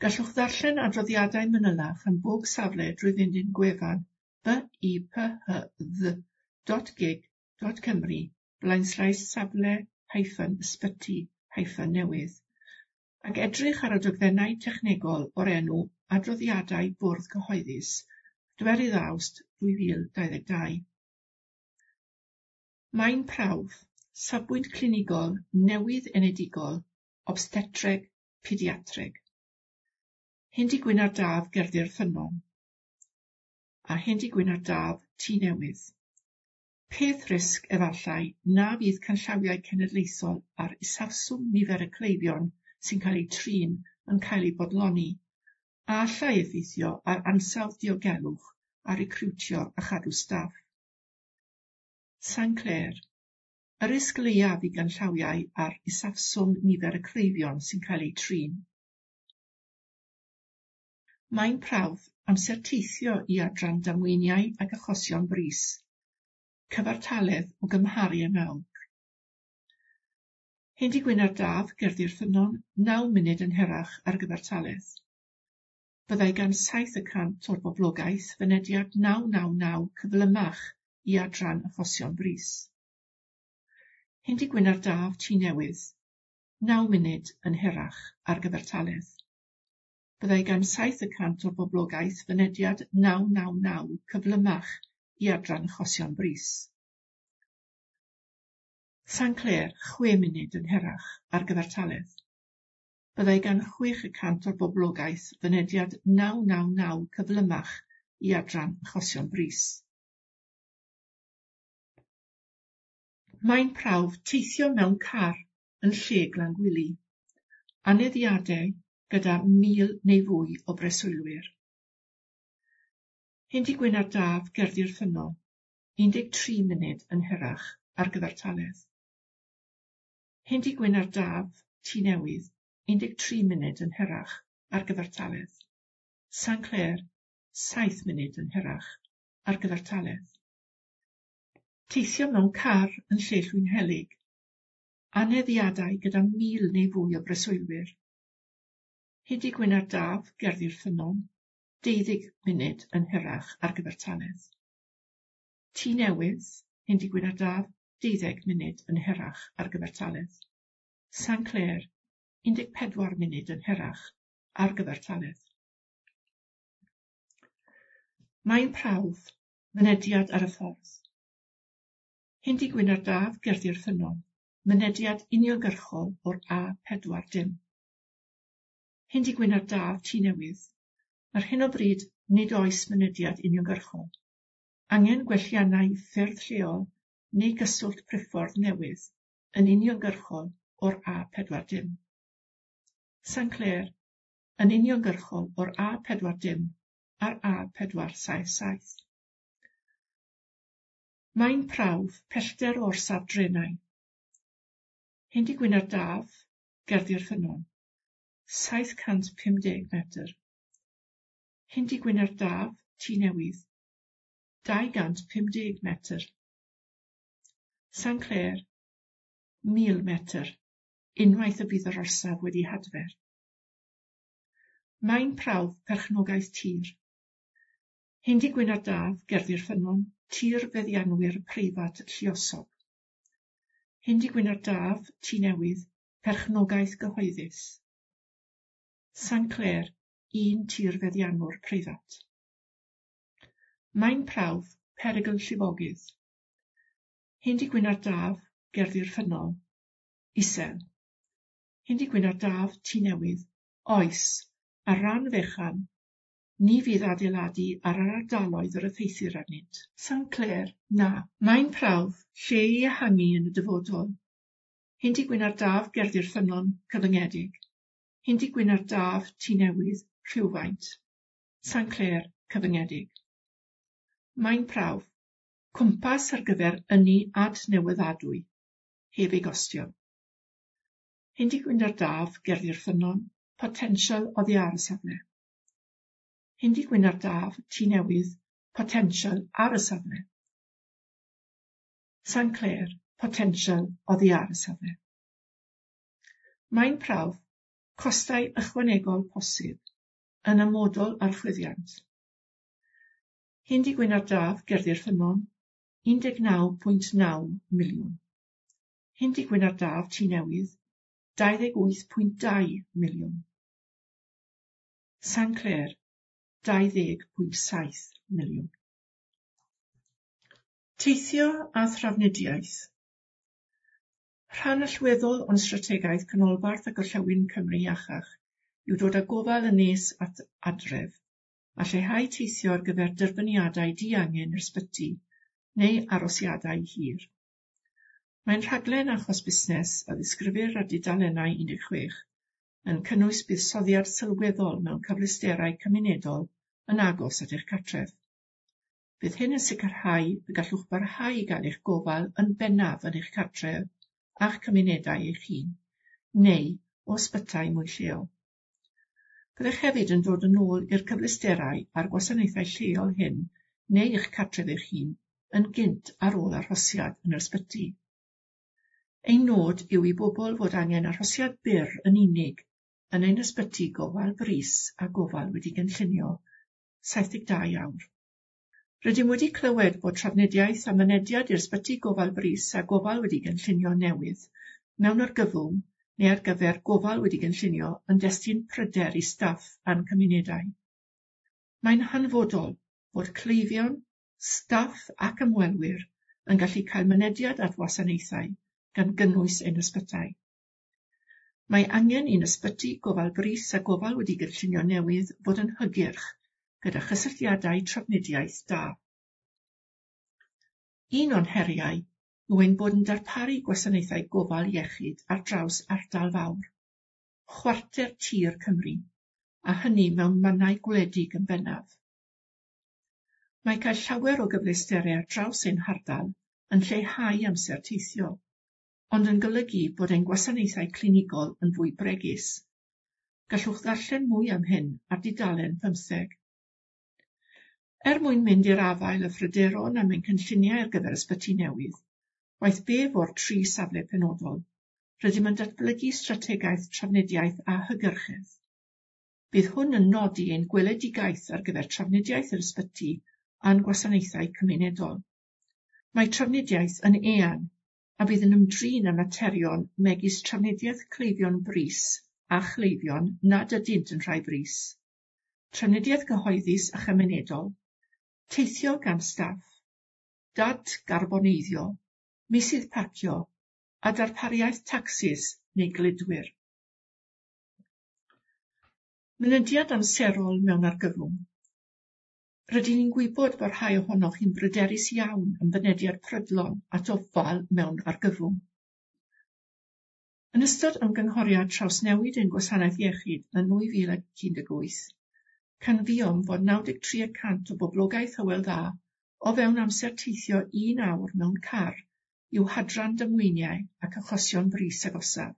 Gallwch ddarllen adroddiadau manylach am bob safle drwy fynd i'n gwefan b i p h dd dot gig dot cymru blaenslaes safle hyphen ysbyty hyphen newydd ac edrych ar y dogfennau technegol o'r enw Adroddiadau Bwrdd Cyhoeddus, pedwerydd Awst dwy fil dau ddeg dau. Maen prawf, safbwynt clinigol newydd enedigol, obstetreg, pediatreg. Hendy Gwyn ar Daf Gerddi'r Ffynnon a Hendy Gwyn ar Daf Tŷ Newydd. Peth risg efallai na fydd canllawiau cenedlaethol ar isafswm nifer y cleifion sy'n cael eu trin yn cael eu bodloni, a allai effeithio ar ansawdd diogelwch a recriwtio a chadw staff. Saint Clear, y risg leiaf i ganllawiau ar isafswm nifer y cleifion sy'n cael eu trin. Maen prawf, amser teithio i adran damweiniau ac achosion brys. Cyfartaledd o gymharu â nawr. Hendy Gwyn ar Daf, Gerddi'r Ffynnon, naw munud yn hirach ar gyfartaledd. Byddai gan saith y cant o'r boblogaeth fynediad naw naw naw cyflymach i adran achosion brys. Hendy Gwyn ar Daf, Tŷ Newydd, naw munud yn hirach ar gyfartaledd. Byddai gan saith y cant o'r boblogaeth fynediad naw naw naw cyflymach i adran achosion brys. Saint Clear, chwe munud yn hirach ar gyfartaledd. Byddai gan chwech y cant o'r boblogaeth fynediad naw naw naw cyflymach i adran achosion brys. Maen prawf teithio mewn car yn lle Glangwili. Aneddiadau gyda mil neu fwy o breswylwyr. Hendy Gwyn ar Daf, Gerddi'r Ffynnon, un deg tri munud yn hirach ar gyfartaledd. Hendy Gwyn ar Daf, Tŷ Newydd, un deg tri munud yn hirach ar gyfartaledd. Saint Clair, saith munud yn hirach ar gyfartaledd. Teithio mewn car yn lle Llwynhelyg. Aneddiadau gyda mil neu fwy o breswylwyr. Hendy Gwyn ar Daf, Gerddi'r Ffynnon, deuddeg munud yn hirach ar gyfartaledd. Tŷ Newydd, Hendy Gwyn ar Daf, deuddeg munud yn hirach ar gyfartaledd. Saint Clair, un deg pedwar munud yn hirach ar gyfartaledd. Maen prawf, mynediad ar y ffordd. Hendy Gwyn ar Daf, Gerddi'r Ffynnon, mynediad uniongyrchol o'r A pedwar dim. Hendy Gwyn ar Daf, Tŷ Newydd. Ar hyn o bryd, nid oes mynediad uniongyrchol. Angen gwelliannau ffyrdd lleol neu gyswllt priffordd newydd yn uniongyrchol o'r A pedwar dim. Saint Clair, yn uniongyrchol o'r A pedwar dim a'r A pedwar saith saith. Maen prawf, pellter o orsaf drenau. Hendy Gwyn ar Daf, Gerddi'r Ffynnon, saith cant pum deg metr. Hendy Gwyn ar Daf, Tŷ Newydd, dau gant pum deg metr. Saint Clair, mil metr, unwaith y bydd yr orsaf wedi hadfer. Maen prawf perchnogaeth tir. Hendy Gwyn ar Daf, Gerddi'r Ffynnon, tir feddianwyr preifat lluosog. Hendy Gwyn ar Daf, Tŷ Newydd, perchnogaeth gyhoeddus. Saint Clair, un tir feddianwr preifat. Maen prawf, perygl llifogydd. Hendy Gwyn ar Daf, Gerddi'r Ffynnon, isel. Hendy Gwyn ar Daf, Tŷ Newydd, oes, ar ran fechan, ni fydd adeiladu ar yr ardaloedd yr effeithir arnynt. Saint Clair, na. Maen prawf, lle i ehangu yn y dyfodol. Hendy Gwyn ar Daf, Gerddi'r Ffynnon, cyfyngedig. Hendy Gwyn ar Daf, Tŷ Newydd, rhywfaint. Saint Clair, cyfyngedig. Maen prawf, cwmpas ar gyfer ynni adnewyddadwy, heb ei gostio. Hendy Gwyn ar Daf, Gerddi'r Ffynnon, potensial oddi ar y safle. Hendy Gwyn ar Daf, Tŷ Newydd, potensial ar y safle. Saint Clair, potensial oddi ar y safle. Maen prawf, costau ychwanegol posib, yn amodol ar chwyddiant. Hendy Gwyn ar Daf, Gerddi'r Ffynnon, un deg naw pwynt naw miliwn. Hendy Gwyn ar Daf, Tŷ Newydd, dau ddeg wyth pwynt dau miliwn. Saint Clair, dau ddeg pwynt saith miliwn. Teithio a thrafnidiaeth. Rhan allweddol o'n strategaeth Canolbarth a Gorllewin Cymru iachach yw dod â gofal yn nes at adref a lleihau teithio ar gyfer derbyniadau diangen i'r ysbyty neu arosiadau hir. Mae'n rhaglen achos busnes a ddisgrifir ar dudalennau un deg chwech yn cynnwys buddsoddiad sylweddol mewn cyfleusterau cymunedol yn agos at eich cartref. Bydd hyn yn sicrhau y gallwch barhau i gael eich gofal yn bennaf yn eich cartref a'ch cymunedau eich hun, neu o ysbytai mwy lleol. Byddech hefyd yn dod yn ôl i'r cyfleusterau a'r gwasanaethau lleol hyn neu eich cartref eich hun yn gynt ar ôl arhosiad yn yr ysbyty. Ein nod yw i bobl fod angen arhosiad byr yn unig yn ein ysbyty gofal brys a gofal wedi gynllunio saith deg dau awr. Rydym wedi clywed bod trafnidiaeth a mynediad i'r ysbyty gofal brys a gofal wedi gynllunio newydd mewn argyfwng neu ar gyfer gofal wedi gynllunio yn destun pryder i staff a'n cymunedau. Mae'n hanfodol bod cleifion, staff ac ymwelwyr yn gallu cael mynediad at wasanaethau gan gynnwys ein ysbytai. Mae angen i'n ysbyty gofal brys a gofal wedi gynllunio newydd fod yn hygyrch gyda chysylltiadau trafnidiaeth da. Un o'n heriau yw ein bod yn darparu gwasanaethau gofal iechyd ar draws ardal fawr, chwarter tir Cymru, a hynny mewn mannau gwledig yn bennaf. Mae cael llawer o gyfleusterau ar draws ein hardal yn lleihau amser teithio, ond yn golygu bod ein gwasanaethau clinigol yn fwy bregus. Gallwch ddarllen mwy am hyn ar dudalen pymtheg. Er mwyn mynd i'r afael â phryderon am ein cynlluniau ar gyfer ysbyty newydd, waeth be fo'r tri safle penodol, rydym yn datblygu strategaeth trafnidiaeth a hygyrchedd. Bydd hwn yn nodi ein gweledigaeth ar gyfer trafnidiaeth yr ysbyty a'n gwasanaethau cymunedol. Mae trafnidiaeth yn eang a bydd yn ymdrin â materion megis trafnidiaeth cleifion brys a chleifion nad ydynt yn rhai brys, trafnidiaeth gyhoeddus a chymunedol, teithio gan staff, dadgarboneiddio, meysydd parcio a darpariaeth tacsis neu gludwyr. Mynediad amserol mewn argyfwng. Rydyn ni'n gwybod bod rhai ohonoch chi'n bryderus iawn am fynediad prydlon at ofal mewn argyfwng. Yn ystod ymgynghoriad trawsnewid ein gwasanaeth iechyd yn nwy fil ac un deg wyth, canfuom fod naw deg tri y cant o boblogaeth Hywel Dda o fewn amser teithio un awr mewn car i'w hadran damweiniau ac achosion brys agosaf.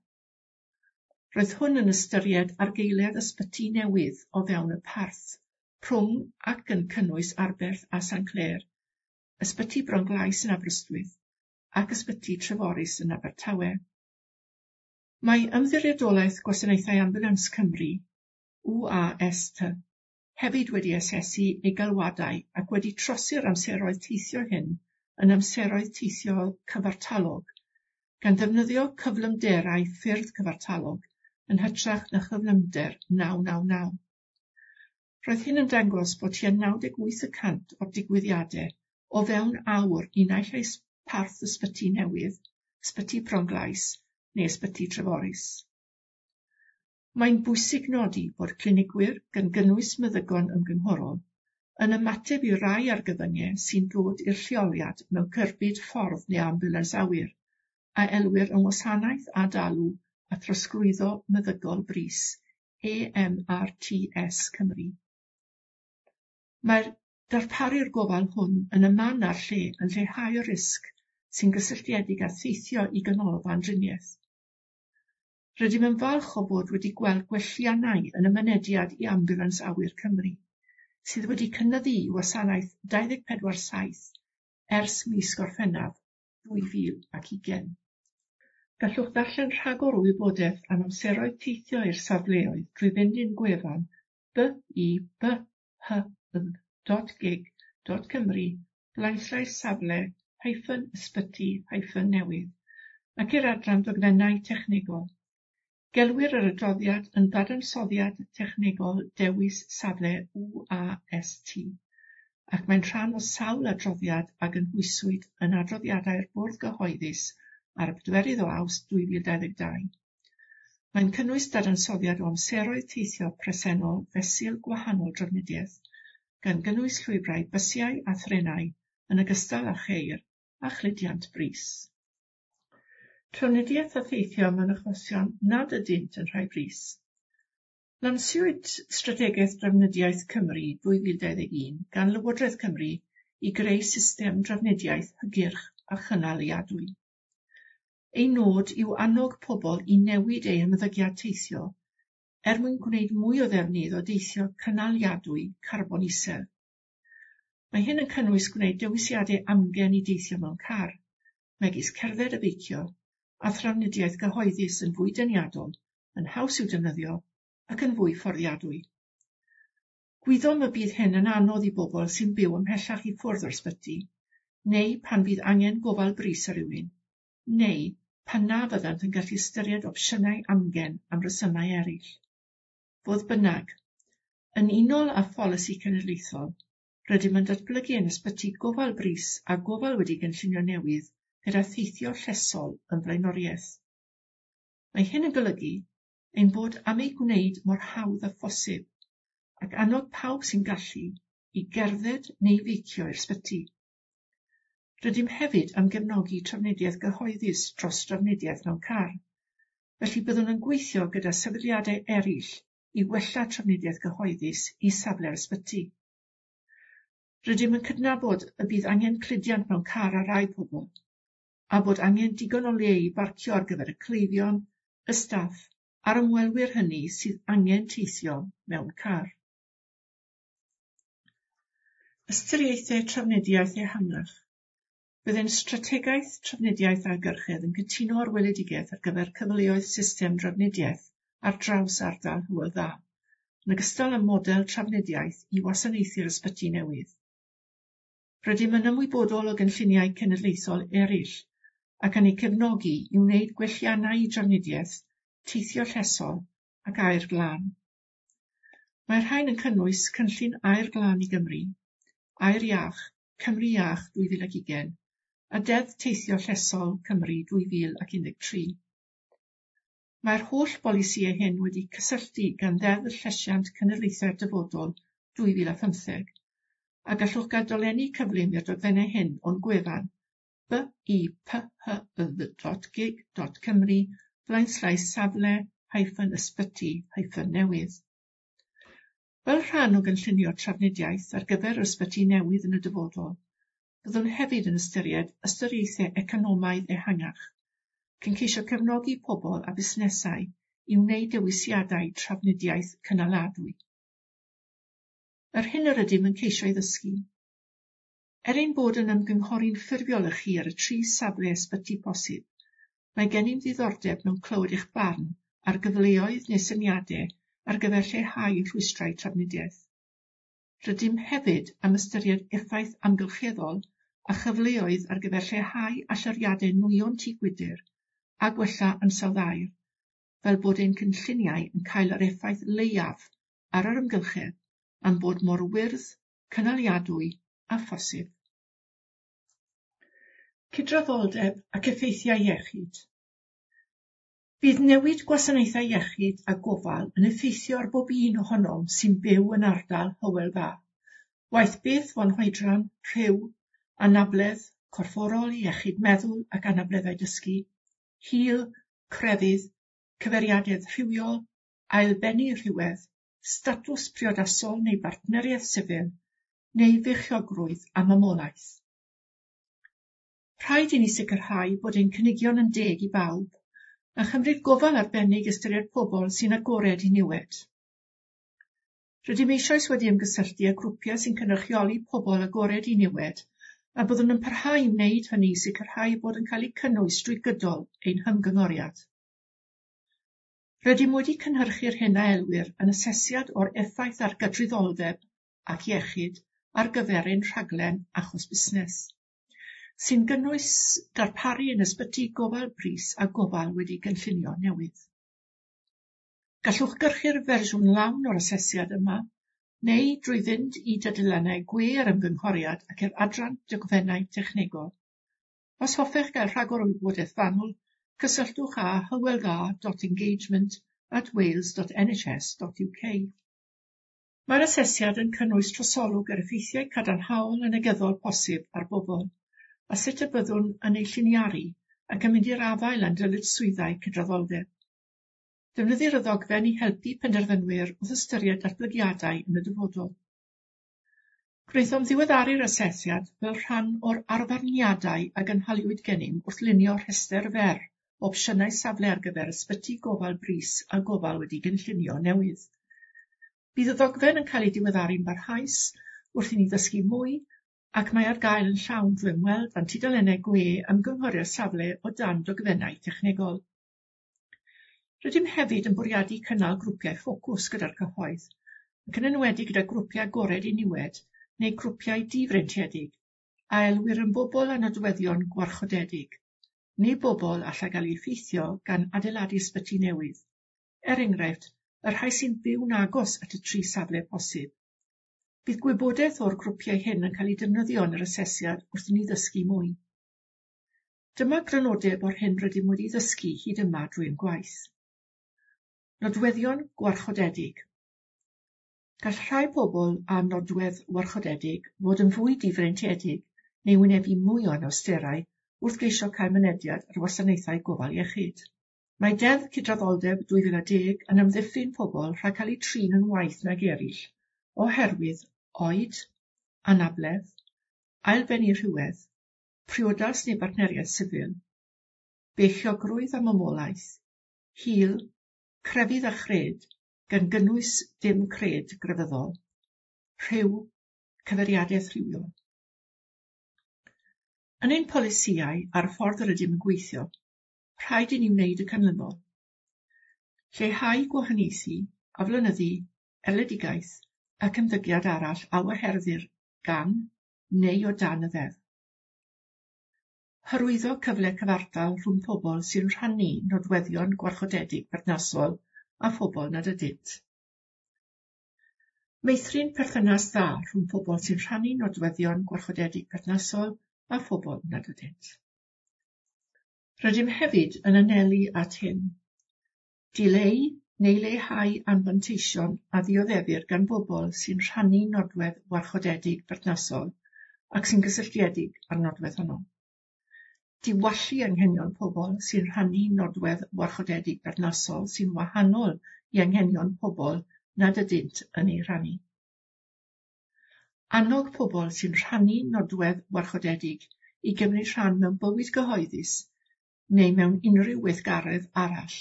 Roedd hwn yn ystyried argaeledd ysbyty newydd o fewn y parth, rhwng ac yn cynnwys Arberth a Saint Clêr, ysbyty Bronglais yn Aberystwyth ac ysbyty Treforys yn Abertawe. Mae Ymddiriedolaeth Gwasanaethau Ambiwlans Cymru, U A S T, hefyd wedi asesu ei galwadau ac wedi trosi'r amseroedd teithio hyn yn amseroedd teithio cyfartalog, gan ddefnyddio cyflymderau ffyrdd cyfartalog yn hytrach na chyflymder naw naw naw. Roedd hyn yn dangos bod tua naw deg wyth y cant o'r digwyddiadau o fewn awr i naill ai parth ysbyty newydd, ysbyty Bronglais neu ysbyty Treforys. Mae'n bwysig nodi bod clinigwyr, gan gynnwys meddygon ymgynghorol, yn ymateb i rai argyfyngau sy'n dod i'r lleoliad mewn cerbyd ffordd neu ambiwlans awyr, a elwir yn wasanaeth adalw a throsglwyddo meddygol brys, A M R T S Cymru. Mae'r darparu'r gofal hwn yn y man a'r lle yn lleihau'r risg sy'n gysylltiedig â theithio i ganolfan driniaeth. Rydym yn falch o fod wedi gweld gwelliannau yn y mynediad i Ambiwlans Awyr Cymru, sydd wedi cynyddu i wasanaeth dau ddeg pedwar saith ers mis Gorffennaf dwy fil ac ugain. Gallwch ddarllen rhagor o wybodaeth am amseroedd teithio i'r safleoedd drwy fynd i'n gwefan b i b h dot gig dot cymru blaenllaes safle hyphen ysbyty hyphen newydd ac i'r adran dogfennau technegol. Gelwir yr adroddiad yn ddadansoddiad technegol dewis safle U A S T, ac mae'n rhan o sawl adroddiad a gynhwyswyd yn adroddiadau'r Bwrdd Gyhoeddus ar y pedwerydd o Awst dwy fil dau ddeg dau. Mae'n cynnwys dadansoddiad o amseroedd teithio presennol fesul gwahanol drafnidiaeth, gan gynnwys llwybrau bysiau a threnau yn ogystal â cheir a chludiant brys. Trafnidiaeth a theithio mewn achosion nad ydynt yn rhai brys. Lansiwyd Strategaeth Drafnidiaeth Cymru dwy fil dau ddeg un gan Lywodraeth Cymru i greu system drafnidiaeth hygyrch a chynaliadwy. Ei nod yw annog pobl i newid eu hymddygiad teithio er mwyn gwneud mwy o ddefnydd o deithio cynaliadwy carbon isel. Mae hyn yn cynnwys gwneud dewisiadau amgen i deithio mewn car, megis cerdded a beicio, a thrafnidiaeth gyhoeddus yn fwy deniadol, yn haws i'w defnyddio ac yn fwy fforddiadwy. Gwyddom y bydd hyn yn anodd i bobl sy'n byw ymhellach i ffwrdd o'r ysbyty, neu pan fydd angen gofal brys ar rywun, neu pan na fyddant yn gallu ystyried opsiynau amgen am resymau eraill. Fodd bynnag, yn unol â pholisi cenedlaethol, rydym yn datblygu ein ysbyty gofal brys a gofal wedi gynllunio newydd gyda theithio llesol yn flaenoriaeth. Mae hyn yn golygu ein bod am ei gwneud mor hawdd â phosib ac annog pawb sy'n gallu i gerdded neu feicio i'r ysbyty. Rydym hefyd am gefnogi trafnidiaeth gyhoeddus dros drafnidiaeth mewn car, felly byddwn yn gweithio gyda sefydliadau eraill i wella trafnidiaeth gyhoeddus i safle'r ysbyty. Rydym yn cydnabod y bydd angen cludiant mewn car ar rai pobl, a bod angen digon o le i barcio ar gyfer y cleifion, y staff a'r ymwelwyr hynny sydd angen teithio mewn car. Ystyriaethau trafnidiaeth ehangach. Bydd ein strategaeth trafnidiaeth ailgyrchedd yn cytuno ar weledigaeth ar gyfer cyfleoedd system drafnidiaeth ar draws ardal Hywel Dda, yn ogystal â model trafnidiaeth i wasanaethu'r ysbyty newydd. Rydym yn ymwybodol o gynlluniau cenedlaethol eraill ac yn eu cefnogi i wneud gwelliannau i drafnidiaeth, teithio llesol ac aer glân. Mae'r rhain yn cynnwys Cynllun Aer Glân i Gymru, Aer Iach, Cymru Iach dwy fil ac ugain, a Deddf Teithio Llesol Cymru dwy fil ac un deg tri. Mae'r holl bolisïau hyn wedi cysylltu gan Ddeddf Llesiant Cenedlaethau'r Dyfodol dwy fil a phymtheg, a gallwch gael dolenni cyflym i'r dogfennau hyn o'n gwefan b i p h y dot gig dot cymru blaenslaes safle hyphen ysbyty hyphen newydd. Fel rhan o gynllunio trafnidiaeth ar gyfer yr ysbyty newydd yn y dyfodol, byddwn hefyd yn ystyried ystyriaethau economaidd ehangach, cyn ceisio cefnogi pobl a busnesau i wneud dewisiadau trafnidiaeth cynaladwy. Yr hyn yr ydym yn ceisio ei ddysgu. Er ein bod yn ymgynghori'n ffurfiol â chi ar y tri safle ysbyty posib, mae gennym ddiddordeb mewn clywed eich barn ar gyfleoedd neu syniadau ar gyfer lleihau rhwystrau trafnidiaeth. Rydym hefyd am ystyried effaith amgylcheddol a chyfleoedd ar gyfer lleihau allyriadau nwyon tŷ gwydr a gwella ansawdd aer, fel bod ein cynlluniau yn cael yr effaith leiaf ar yr amgylchedd a'n bod mor wyrdd, cynaliadwy a phosib. Cydraddoldeb ac effeithiau iechyd. Bydd newid gwasanaethau iechyd a gofal yn effeithio ar bob un ohonom sy'n byw yn ardal Hywel Dda, waeth beth fo'n hoedran, rhyw, anabledd, corfforol, iechyd meddwl ac anableddau dysgu, hil, crefydd, cyfeiriadedd rhywiol, ailbennu rhywedd, statws priodasol neu bartneriaeth sifil, neu feichiogrwydd a mamolaeth. Rhaid i ni sicrhau bod ein cynigion yn deg i bawb, a chymryd gofal arbennig ystyried pobl sy'n agored i niwed. Rydym eisoes wedi ymgysylltu â grwpiau sy'n cynrychioli pobl agored i niwed, a byddwn yn parhau i wneud hynny i sicrhau bod yn cael eu cynnwys drwy gydol ein hymgyngoriad. Rydym wedi cynhyrchu'r hyn a elwir yn asesiad o'r effaith ar gydraddoldeb ac iechyd ar gyfer ein rhaglen achos busnes, sy'n gynnwys darparu yn ysbyty gofal brys a gofal wedi gynllunio newydd. Gallwch gyrchu'r fersiwn lawn o'r asesiad yma, neu drwy fynd i dudalennau gwe yr ymgynghoriad ac i'r adran dogfennau technegol. Os hoffech gael rhagor o wybodaeth fanwl, cysylltwch â hyweldda dot engagement at wales dot N H S dot U K. Mae'r asesiad yn cynnwys trosolwg ar effeithiau cadarnhaol a negyddol posib ar bobl, a sut y byddwn yn ei lliniaru ac yn mynd i'r afael â'n dyletswyddau cydraddoldeb. Defnyddir y ddogfen i helpu penderfynwyr wrth ystyried datblygiadau yn y dyfodol. Gwnaethom ddiweddaru'r asesiad fel rhan o'r arfarniadau a gynhaliwyd gennym wrth lunio rhestr fer o opsiynau safle ar gyfer ysbyty gofal brys a gofal wedi gynllunio newydd. Bydd y ddogfen yn cael ei diweddaru'n barhaus wrth i ni ddysgu mwy, ac mae ar gael yn llawn drwy ymweld â'n tudalennau gwe ymgynghori'r safle o dan dogfennau technegol. Rydym hefyd yn bwriadu cynnal grwpiau ffocws gyda'r cyhoedd, ac yn enwedig gyda grwpiau agored i niwed neu grwpiau difreintiedig, a elwir yn bobl â nodweddion gwarchodedig, neu bobl allai gael eu effeithio gan adeiladu ysbyty newydd, er enghraifft, y rhai sy'n byw'n agos at y tri safle posib. Bydd gwybodaeth o'r grwpiau hyn yn cael ei defnyddio yn yr asesiad wrth i ni ddysgu mwy. Dyma grynodeb o'r hyn rydym wedi ddysgu hyd yma drwy'n gwaith. Nodweddion gwarchodedig. Gall rhai pobl â nodwedd warchodedig fod yn fwy difreintiedig neu wynebu mwy o anawsterau wrth geisio cael mynediad ar wasanaethau gofal iechyd. Mae Deddf Cydraddoldeb dwy fil a deg yn amddiffyn pobl rhag cael eu trin yn waeth nag eraill oherwydd oed, anabledd, ailbennu rhywedd, priodas neu bartneriaeth sifil, beichiogrwydd a mamolaeth, hil, crefydd a chred, gan gynnwys dim cred grefyddol, rhyw, cyfeiriadaeth rhywiol. Yn ein polisïau a'r ffordd yr ydym yn gweithio, rhaid i ni wneud y canlynol. Lleihau gwahaniaethu, aflonyddu, erledigaeth ac ymddygiad arall a waherddir gan neu o dan y ddeddf. Hyrwyddo cyfle cyfartal rhwng pobl sy'n rhannu nodweddion gwarchodedig perthnasol a phobl nad ydynt. Meithrin perthynas dda rhwng pobl sy'n rhannu nodweddion gwarchodedig perthnasol a phobl nad ydynt. Rydym hefyd yn anelu at hyn. Dileu neu leihau anfanteision a ddioddefir gan bobl sy'n rhannu nodwedd warchodedig berthnasol ac sy'n gysylltiedig â'r nodwedd honno. Diwallu anghenion pobl sy'n rhannu nodwedd warchodedig berthnasol sy'n wahanol i anghenion pobl nad ydynt yn ei rhannu. Annog pobl sy'n rhannu nodwedd warchodedig i gymryd rhan mewn bywyd gyhoeddus neu mewn unrhyw weithgaredd arall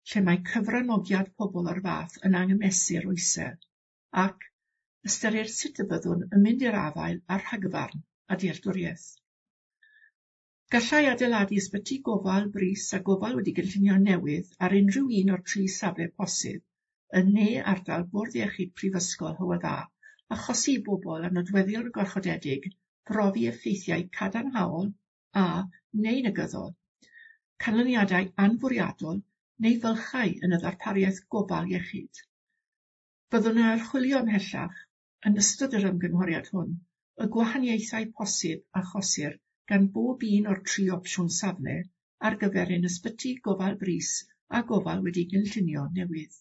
lle mae cyfranogiad pobl o'r fath yn anghymesur o isel, ac ystyrir sut y byddwn yn mynd i'r afael â'r rhagfarn a dealltwriaeth. Gallai adeiladu ysbyty gofal brys a gofal wedi gynllunio newydd ar unrhyw un o'r tri safle posib yn ne ardal Bwrdd Iechyd Prifysgol Hywel Dda achosi i bobl â nodweddion gwarchodedig brofi effeithiau cadarnhaol a neu negyddol, canlyniadau anfwriadol neu fylchau yn y ddarpariaeth gofal iechyd. Byddwn yn archwilio ymhellach yn ystod yr ymgynghoriad hwn y gwahaniaethau posib achosir gan bob un o'r tri opsiwn safle ar gyfer ein ysbyty gofal brys a gofal wedi gynllunio newydd.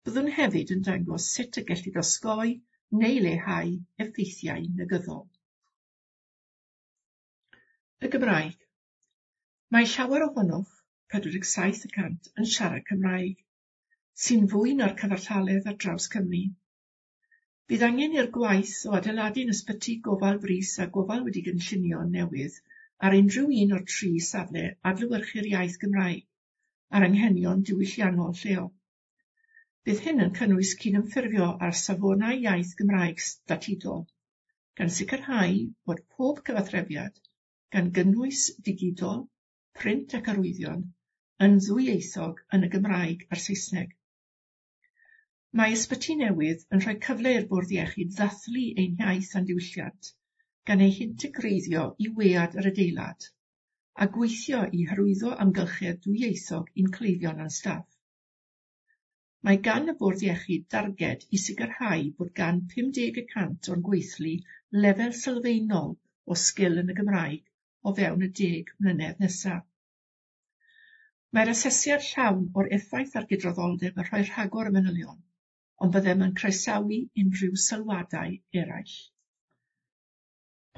Byddwn hefyd yn dangos sut y gellid osgoi neu leihau effeithiau negyddol. Y Gymraeg. Mae llawer ohonoch, pedwar deg saith y cant, yn siarad Cymraeg, sy'n fwy na'r cyfartaledd ar draws Cymru. Bydd angen i'r gwaith o adeiladu'n ysbyty gofal brys a gofal wedi gynllunio newydd ar unrhyw un o'r tri safle adlewyrchu'r iaith Gymraeg a'r anghenion diwylliannol lleol. Bydd hyn yn cynnwys cydymffurfio â'r safonau iaith Gymraeg statudol, gan sicrhau bod pob cyfathrebiad, gan gynnwys digidol, print ac arwyddion, yn ddwyieithog yn y Gymraeg a'r Saesneg. Mae ysbyty newydd yn rhoi cyfle i'r Bwrdd Iechyd ddathlu ein hiaith a'n diwylliant, gan ei hintegreiddio i wead yr adeilad, a gweithio i hyrwyddo amgylchedd dwyieithog i'n cleifion a'n staff. Mae gan y Bwrdd Iechyd darged i sicrhau bod gan pum deg y cant o'n gweithlu lefel sylfaenol o sgil yn y Gymraeg o fewn y deg mlynedd nesaf. Mae'r asesiad llawn o'r effaith ar gydraddoldeb yn rhoi rhagor o manylion, ond byddem yn croesawu unrhyw sylwadau eraill.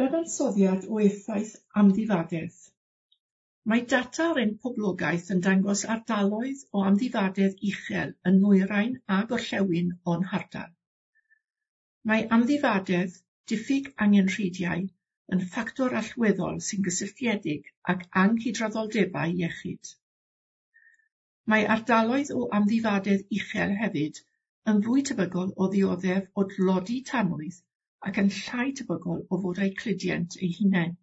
Dadansoddiad o effaith amddifadedd. Mae data ar ein poblogaeth yn dangos ardaloedd o amddifadedd uchel yn nwyrain a gorllewin o'n hardal. Mae amddifadedd, diffyg angenrheidiau, yn ffactor allweddol sy'n gysylltiedig ag anghydraddoldebau iechyd. Mae ardaloedd o amddifadedd uchel hefyd yn fwy tebygol o ddioddef o dlodi tanwydd ac yn llai tebygol o fod â'u cludiant eu hunain,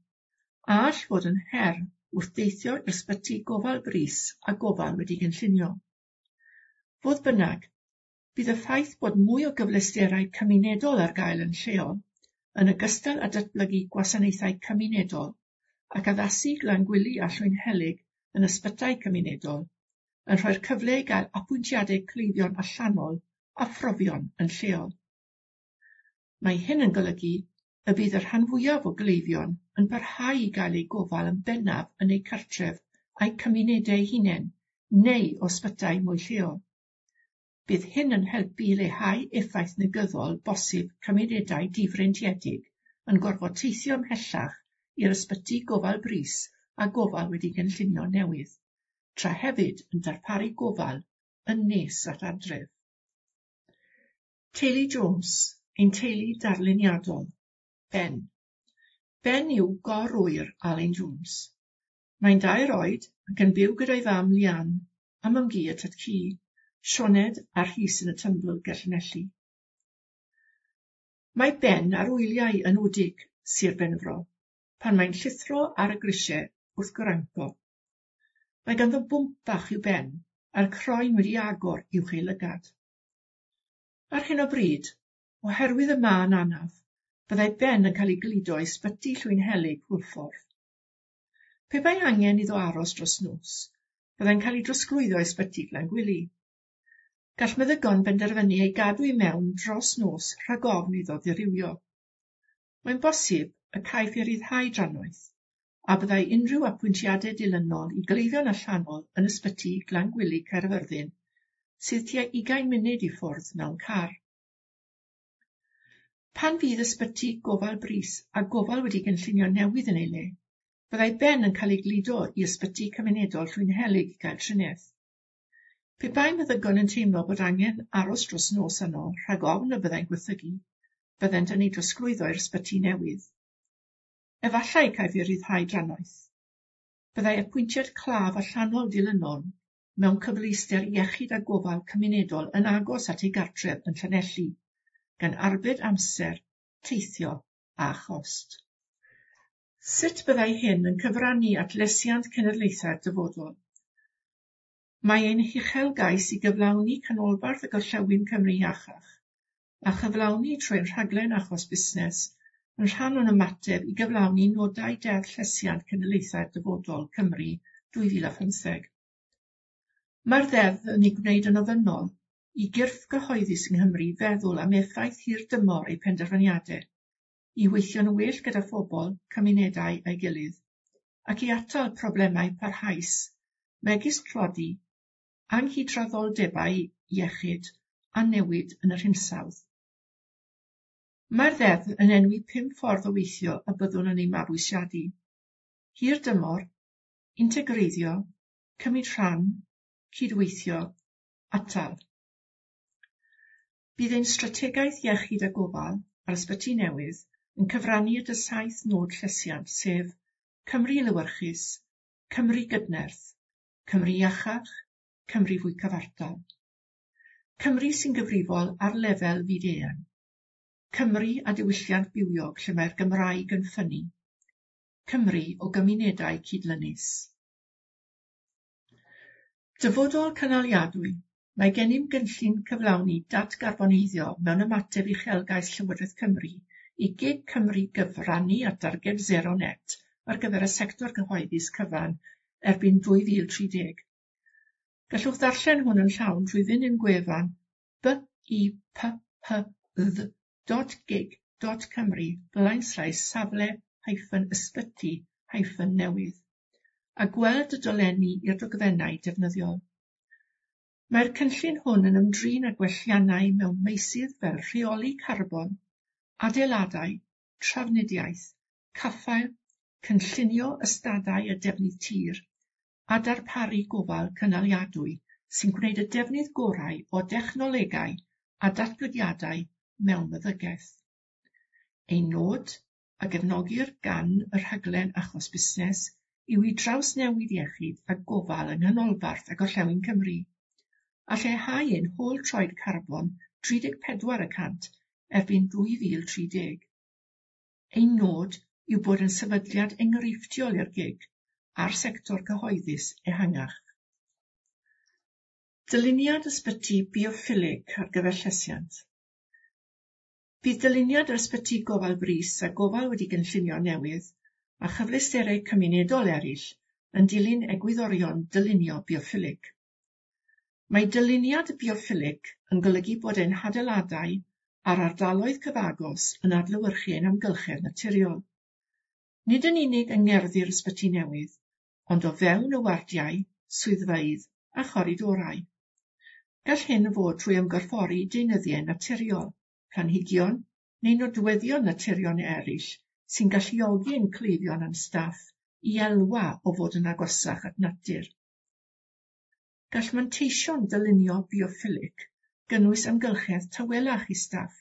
a all fod yn her wrth deithio i'r ysbyty gofal brys a gofal wedi gynllunio. Fodd bynnag, bydd y ffaith bod mwy o gyfleusterau cymunedol ar gael yn lleol, yn ogystal â datblygu gwasanaethau cymunedol ac addasu Glangwili a Llwynhelyg yn ysbytai cymunedol, yn rhoi'r cyfle i gael apwyntiadau cleifion allanol a phrofion yn lleol. Mae hyn yn golygu y bydd y rhan fwyaf o gleifion yn parhau i gael eu gofal yn bennaf yn eu cartref a'u cymunedau eu hunain neu o ysbytai mwy lleol. Bydd hyn yn helpu i leihau effaith negyddol bosib cymunedau difreintiedig yn gorfod teithio ymhellach i'r ysbyty gofal brys a gofal wedi gynllunio newydd, tra hefyd yn darparu gofal yn nes at adref. Teulu Jones, ein teulu darluniadol. Ben. Ben yw gorwyr Alun Jones. Mae'n dair oed ac yn byw gyda'i fam Lian a mam-gu a tad-cu, Sioned a Rhys yn y Tymbl ger Llanelli. Mae Ben ar wyliau yn Wdig, Sir Benfro, pan mae'n llithro ar y grisiau wrth granco. Mae ganddo bwmp bach i'w ben a'r croen wedi agor uwch ei lygad. Ar hyn o bryd, oherwydd y mân anaf, byddai Ben yn cael ei gludo i ysbyty Llwynhelyg Hwlffordd. Pe bai angen iddo aros dros nos, byddai'n cael ei drosglwyddo i ysbyty Glangwili. Gall meddygon benderfynu ei gadw i mewn dros nos rhag ofn iddo ddirywio. Mae'n bosib y caiff ei ryddhau drannoeth, a byddai unrhyw apwyntiadau dilynol i gleifion allanol yn ysbyty Glangwili Caerfyrddin, sydd tua ugain munud i ffwrdd mewn car. Pan fydd ysbyty gofal brys a gofal wedi gynllunio newydd yn ei le, byddai Ben yn cael ei gludo i ysbyty cymunedol Llwynhelyg i gael triniaeth. Pe bai meddygon yn teimlo bod angen aros dros nos yno rhag ofn y byddai'n gwaethygu, byddent yn ei drosglwyddo i'r ysbyty newydd. Efallai caiff ei ryddhau drannoeth. Byddai apwyntiad claf allanol dilynol mewn cyfleuster iechyd a gofal cymunedol yn agos at ei gartref yn Llanelli, gan arbed amser, teithio a chost. Sut byddai hyn yn cyfrannu at lesiant cenedlaethau'r dyfodol? Mae ein huchelgais i gyflawni canolbarth y gorllewin Cymru iachach, a chyflawni trwy'n rhaglen achos busnes yn rhan o'n ymateb i gyflawni nodau Deddf Llesiant Cenedlaethau'r Dyfodol Cymru dwy fil a phymtheg. Mae'r ddeddf yn ei gwneud yn ofynnol i gyrff gyhoeddus yng Nghymru feddwl am effaith hirdymor eu penderfyniadau, i weithio'n well gyda phobl, cymunedau a'i gilydd, ac i atal problemau parhaus, megis tlodi, anghydraddoldebau iechyd a newid yn yr hinsawdd. Mae'r ddeddf yn enwi pum ffordd o weithio y byddwn yn ei mabwysiadu: hir dymor, integreiddio, cymryd rhan, cydweithio, atal. Bydd ein strategaeth iechyd a gofal ar ysbyty newydd yn cyfrannu at y saith nod llesiant, sef Cymru lewyrchus, Cymru gydnerth, Cymru iachach, Cymru fwy cyfartal. Cymru sy'n gyfrifol ar lefel fyd-eang. Cymru a diwylliant bywiog lle mae'r Gymraeg yn ffynnu. Cymru o gymunedau cydlynus. Dyfodol cynaliadwy. Mae gennym gynllun cyflawni datgarboneiddio mewn ymateb uchelgais Llywodraeth Cymru i gig Cymru gyfrannu at darged sero net ar gyfer y sector gyhoeddus cyfan erbyn dwy fil tri deg. Gallwch ddarllen hwn yn llawn trwy fynd i'n gwefan b i p h dd dot gig dot cymru blaenslaes safle hyphen ysbyty hyphen newydd a gweld y dolenni i'r dogfennau defnyddiol. Mae'r cynllun hwn yn ymdrin â gwelliannau mewn meysydd fel rheoli carbon, adeiladau, trafnidiaeth, caffael, cynllunio ystadau a defnydd tir, a darparu gofal cynaliadwy sy'n gwneud y defnydd gorau o dechnolegau a datblygiadau mewn meddygaeth. Ein nod, a gefnogir gan y rhaglen achos busnes, yw i drawsnewid iechyd a gofal yng Nghanolbarth a Gorllewin Cymru, a lleihau ein hôl troed carbon tri deg pedwar y cant erbyn dwy fil tri deg. Ein nod yw bod yn sefydliad enghreifftiol i'r gig a'r sector cyhoeddus ehangach. Dyluniad ysbyty bioffilig ar gyfer llesiant. Bydd dyluniad yr ysbyty gofal brys a gofal wedi gynllunio newydd a chyfleusterau cymunedol eraill yn dilyn egwyddorion dylunio bioffilig. Mae dyluniad bioffilig yn golygu bod ein hadeiladau a'r ardaloedd cyfagos yn adlewyrchu ein amgylchedd naturiol. Nid yn unig yng ngerddi'r ysbyty newydd, ond o fewn y wardiau, swyddfeydd a choridorau. Gall hyn fod trwy ymgorffori deunyddiau naturiol, planhigion neu nodweddion naturiol eraill sy'n galluogi ein cleifion a'n staff i elwa o fod yn agosach at natur. Gall manteision dylunio bioffilig gynnwys amgylchedd tawelach i staff,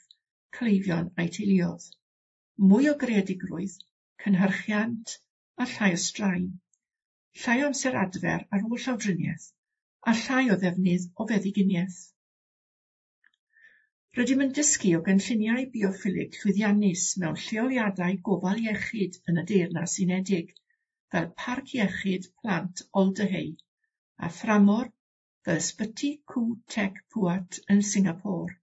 cleifion a'u teuluoedd, mwy o greadigrwydd, cynhyrchiant a llai o straen, llai o amser adfer ar ôl llawdriniaeth a llai o ddefnydd o feddyginiaeth. Rydym yn dysgu o gynlluniau bioffilig llwyddiannus mewn lleoliadau gofal iechyd yn y Deyrnas Unedig, fel Parc Iechyd Plant Alder Hey a thramor fel Ysbyty Khoo Teck Puat yn Singapore.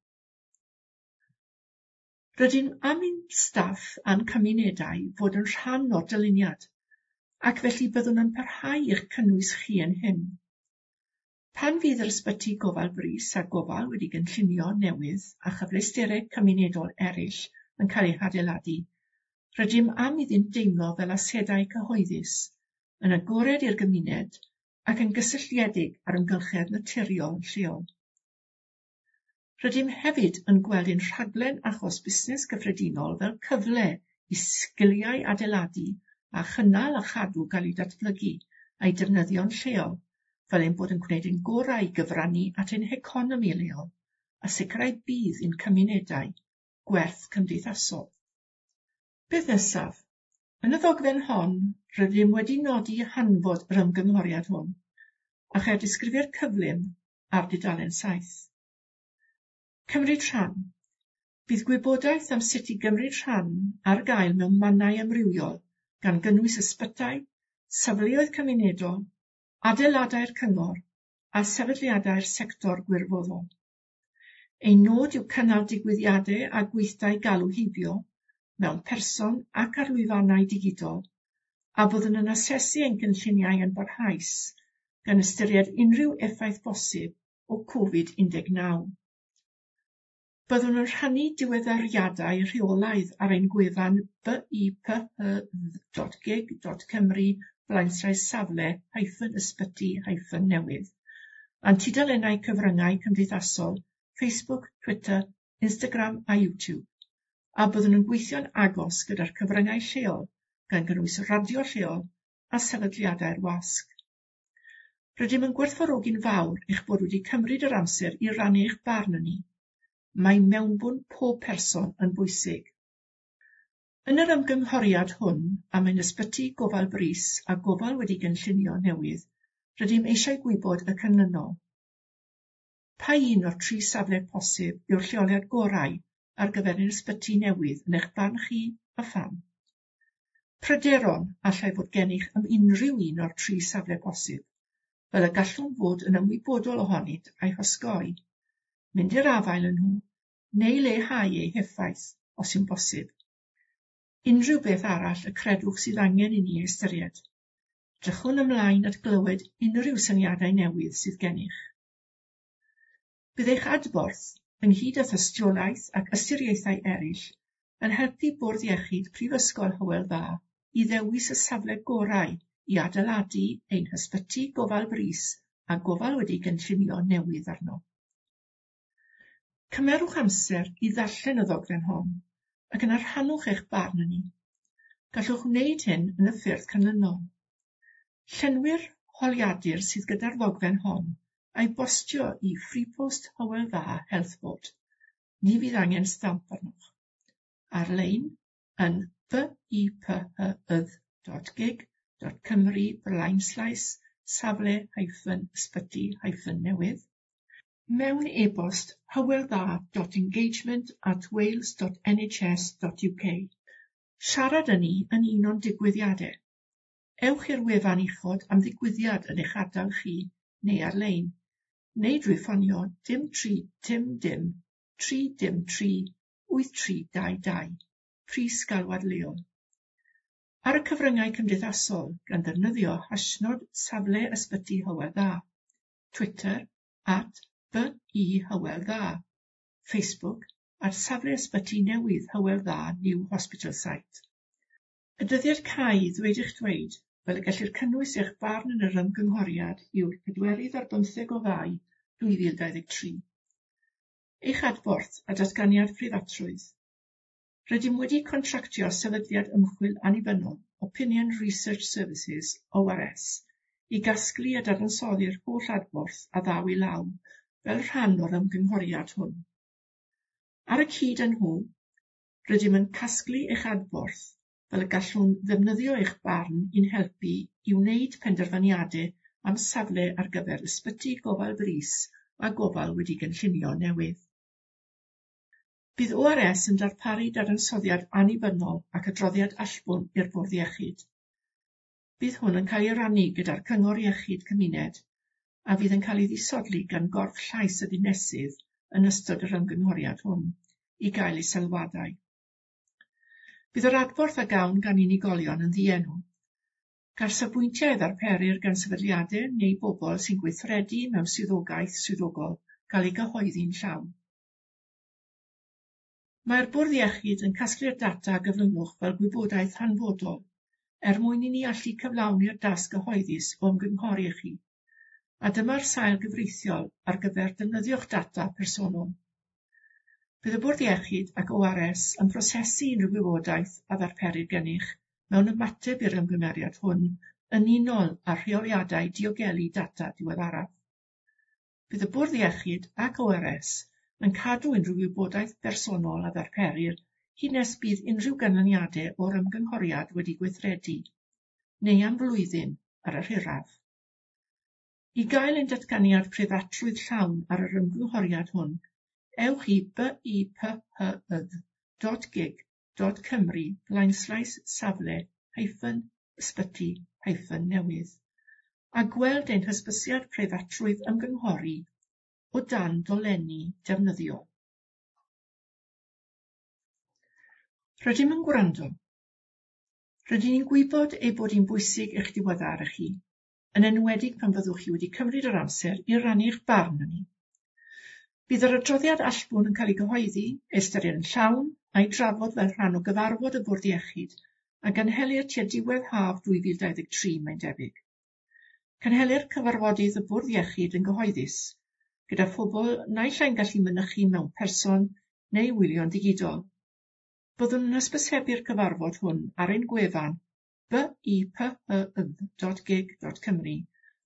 Rydym am i'n staff a'n cymunedau fod yn rhan o'r dyluniad, ac felly byddwn yn parhau i'ch cynnwys chi yn hyn. Pan fydd yr ysbyty gofal brys a gofal wedi gynllunio newydd a chyfleusterau cymunedol eraill yn cael eu hadeiladu, rydym am iddynt deimlo fel asedau cyhoeddus, yn agored i'r gymuned ac yn gysylltiedig â'r amgylchedd naturiol lleol. Rydym hefyd yn gweld ein rhaglen achos busnes gyffredinol fel cyfle i sgiliau adeiladu a chynnal a chadw gael eu datblygu a'i defnyddio'n lleol, fel ein bod yn gwneud ein gorau i gyfrannu at ein heconomi leol a sicrhau budd i'n cymunedau gwerth cymdeithasol. Beth nesaf? Yn y ddogfen hon, rydym wedi nodi hanfod yr ymgynghoriad hwn, a cheir disgrifiad cyflym ar dudalen saith. Cymryd rhan. Bydd gwybodaeth am sut i gymryd rhan ar gael mewn mannau amrywiol, gan gynnwys ysbytai, safleoedd cymunedol, adeiladau'r cyngor a sefydliadau'r sector gwirfoddol. Ein nod yw cynnal digwyddiadau a gweithdai galw heibio mewn person ac ar lwyfannau digidol, a byddwn yn asesu ein cynlluniau yn barhaus gan ystyried unrhyw effaith bosib o Covid un deg naw. Byddwn yn rhannu diweddariadau rheolaidd ar ein gwefan b i p h dot gig dot cymru blaenslaes safle hyphen ysbyty hyphen newydd, a'n tudalennau cyfryngau cymdeithasol Facebook, Twitter, Instagram a YouTube, a byddwn yn gweithio'n agos gyda'r cyfryngau lleol gan gynnwys radio lleol a sefydliadau'r wasg. Rydym yn gwerthfawrogi'n fawr eich bod wedi cymryd yr amser i rannu eich barn â ni. Mae mewnbwn pob person yn bwysig. Yn yr ymgynghoriad hwn am ein ysbyty gofal brys a gofal wedi gynllunio newydd, rydym eisiau gwybod y canlynol. Pa un o'r tri safle posib yw'r lleoliad gorau ar gyfer ein ysbyty newydd yn eich barn chi a pham? Pryderon allai fod gennych am unrhyw un o'r tri safle posib, fel y gallwn fod yn ymwybodol ohonynt a'i hosgoi, mynd i'r afael â nhw, neu leihau eu heffaith os yw'n bosib. Unrhyw beth arall y credwch sydd angen i ni ystyried. Drychwn ymlaen at glywed unrhyw syniadau newydd sydd gennych. Bydd eich adborth, ynghyd â thystiolaeth ac ystyriaethau eraill, yn helpu Bwrdd Iechyd Prifysgol Hywel Dda i ddewis y safle gorau i adeiladu ein hysbyty gofal brys a gofal wedi gynllunio newydd arno. Cymerwch amser i ddarllen y ddogfen hon ac yna rhannwch eich barn â ni. Gallwch wneud hyn yn y ffyrdd canlynol. Llenwi'r holiadur sydd gyda'r ddogfen hon a'i bostio i Freepost Hywel Dda Health Board. Ni fydd angen stamp arnoch. Ar-lein yn b i p h y dot gig dot cymru blaenslaes safle hyphen ysbyty hyphen newydd. Mewn e-bost hyweldda dot engagement at wales dot n h s dot u k. Siarad â ni yn un o'n digwyddiadau. Ewch i'r wefan uchod am ddigwyddiad yn eich ardal chi neu ar-lein, neu drwy ffonio dim tri dim dim tri dim tri wyth tri dau dau, pris galwad leol. Ar y cyfryngau cymdeithasol gan ddefnyddio hashnod safle ysbyty Hywel Dda, Twitter at B I Hywel Dda, Facebook at safle ysbyty newydd Hywel Dda New Hospital Site. Y dyddiad cau ddweud eich dweud, fel y gellir cynnwys eich barn yn yr ymgynghoriad yw'r pedwerydd ar bymtheg o Fai dwy fil dau ddeg tri. Eich adborth a datganiad preifatrwydd. Rydym wedi contractio sefydliad ymchwil annibynnol Opinion Research Services, O R S, i gasglu a dadansoddi'r holl adborth a ddaw i law fel rhan o'r ymgynghoriad hwn. Ar y cyd â nhw, Rydym yn casglu eich adborth fel y gallwn ddefnyddio eich barn i'n helpu i wneud penderfyniadau am safle ar gyfer ysbyty gofal brys a gofal wedi gynllunio newydd. Bydd O R S yn darparu dadansoddiad annibynnol ac adroddiad allbwn i'r Bwrdd Iechyd. Bydd hwn yn cael ei rannu gyda'r Cyngor Iechyd Cymuned a fydd yn cael ei ddisodli gan gorff llais y dinesydd yn ystod yr ymgynghoriad hwn i gael ei sylwadau. Bydd yr adborth a gawn gan unigolion yn ddienw. Gall safbwyntiau ddarperir gan sefydliadau neu bobl sy'n gweithredu mewn swyddogaeth swyddogol gael ei gyhoeddi'n llawn. Mae'r Bwrdd Iechyd yn casglu'r data a gyflwynwch fel gwybodaeth hanfodol er mwyn i ni allu cyflawni'r dasg gyhoeddus o ymgynghori â chi, a dyma'r sail gyfreithiol ar gyfer defnyddio'ch data personol. Bydd y Bwrdd Iechyd ac O R S yn prosesu unrhyw wybodaeth a ddarperir gennych mewn ymateb i'r ymgymeriad hwn yn unol â rheoliadau diogelu data diweddaraf. Bydd y Bwrdd Iechyd ac O R S yn cadw unrhyw wybodaeth bersonol a ddarperir hyd nes bydd unrhyw ganlyniadau o'r ymgynghoriad wedi gweithredu, neu am flwyddyn ar yr hiraf. I gael ein datganiad preifatrwydd llawn ar yr ymgynghoriad hwn, ewch i b i p h y dot gig dot cymru blaenslaes safle hyphen ysbyty hyphen newydd a gweld ein hysbysiad preifatrwydd ymgynghori o dan dolenni defnyddiol. Rydym yn gwrando. Rydyn ni'n gwybod ei bod hi'n bwysig eich diweddaru chi, yn enwedig pan fyddwch chi wedi cymryd yr amser i rannu'ch barn â ni. Bydd yr adroddiad allbwn yn cael ei gyhoeddi, ei ystyried yn llawn, a'i drafod fel rhan o gyfarfod y Bwrdd Iechyd a gynhelir tua diwedd haf dwy fil dau ddeg tri mae'n debyg. Cynhelir cyfarfodydd y Bwrdd Iechyd yn gyhoeddus, gyda phobl naill ai'n gallu mynychu mewn person neu wylio'n ddigidol. Byddwn yn hysbysebu'r cyfarfod hwn ar ein gwefan b i p h y dot gig dot cymru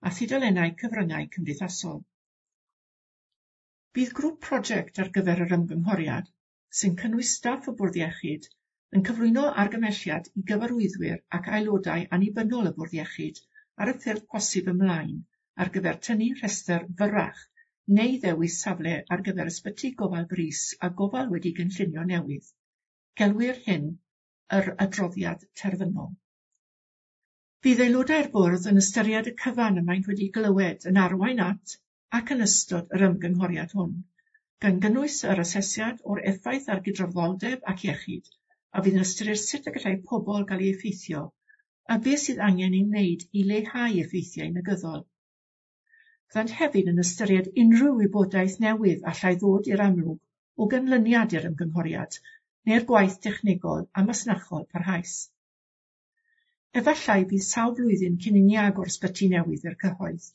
a thudalennau cyfryngau cymdeithasol. Bydd grŵp prosiect ar gyfer yr ymgynghoriad, sy'n cynnwys staff y Bwrdd Iechyd, yn cyflwyno argymhelliad i gyfarwyddwyr ac aelodau annibynnol y Bwrdd Iechyd ar y ffyrdd posib ymlaen ar gyfer tynnu rhestr fyrrach neu ddewis safle ar gyfer ysbyty gofal brys a gofal wedi gynllunio newydd. Gelwir hyn yr adroddiad terfynol. Bydd aelodau'r bwrdd yn ystyried y cyfan y maent wedi glywed yn arwain at ac yn ystod yr ymgynghoriad hwn, gan gynnwys yr asesiad o'r effaith ar gydraddoldeb ac iechyd, a fydd yn ystyried sut y gallai pobl gael eu effeithio a beth sydd angen ei wneud i leihau effeithiau negyddol. Byddant hefyd yn ystyried unrhyw wybodaeth newydd allai ddod i'r amlwg o ganlyniad i'r ymgynghoriad neu'r gwaith technegol a masnachol parhaus. Efallai bydd sawl blwyddyn cyn i ni agor ysbyty newydd i'r cyhoedd.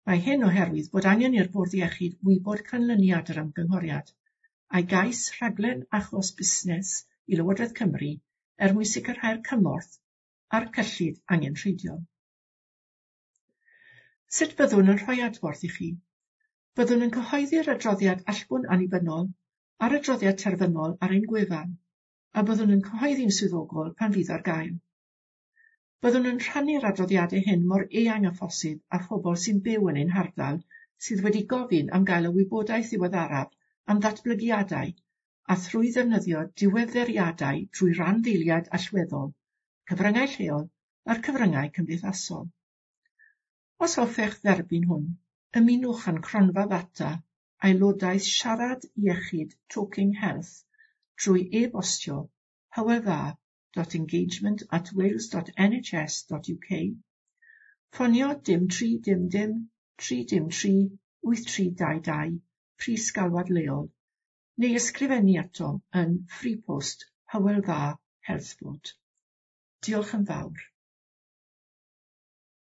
Mae hyn oherwydd bod angen i'r Bwrdd Iechyd wybod canlyniad yr ymgynghoriad, a'i gais rhaglen achos busnes i Lywodraeth Cymru er mwyn sicrhau'r cymorth a'r cyllid angenrheidiol. Sut byddwn yn rhoi adborth i chi? Byddwn yn cyhoeddi'r adroddiad allbwn annibynnol a'r adroddiad terfynol ar ein gwefan, a byddwn yn cyhoeddi'n swyddogol pan fydd ar gael. Byddwn yn rhannu'r adroddiadau hyn mor eang â phosib â phobl sy'n byw yn ein hardal sydd wedi gofyn am gael y wybodaeth ddiweddaraf am ddatblygiadau a thrwy ddefnyddio diweddariadau trwy randdeiliad allweddol, cyfryngau lleol a'r cyfryngau cymdeithasol. Os hoffech dderbyn hwn, ymunwch â'n cronfa ddata aelodaeth Siarad Iechyd Talking Health trwy e-bostio hywel dda dot engagement at wales dot n h s dot u k, ffonio dim tri dim dim tri dim tri wyth tri dau dau, pris galwad leol, neu ysgrifennu atom yn Freepost Hywel Dda Health Board. Diolch yn fawr.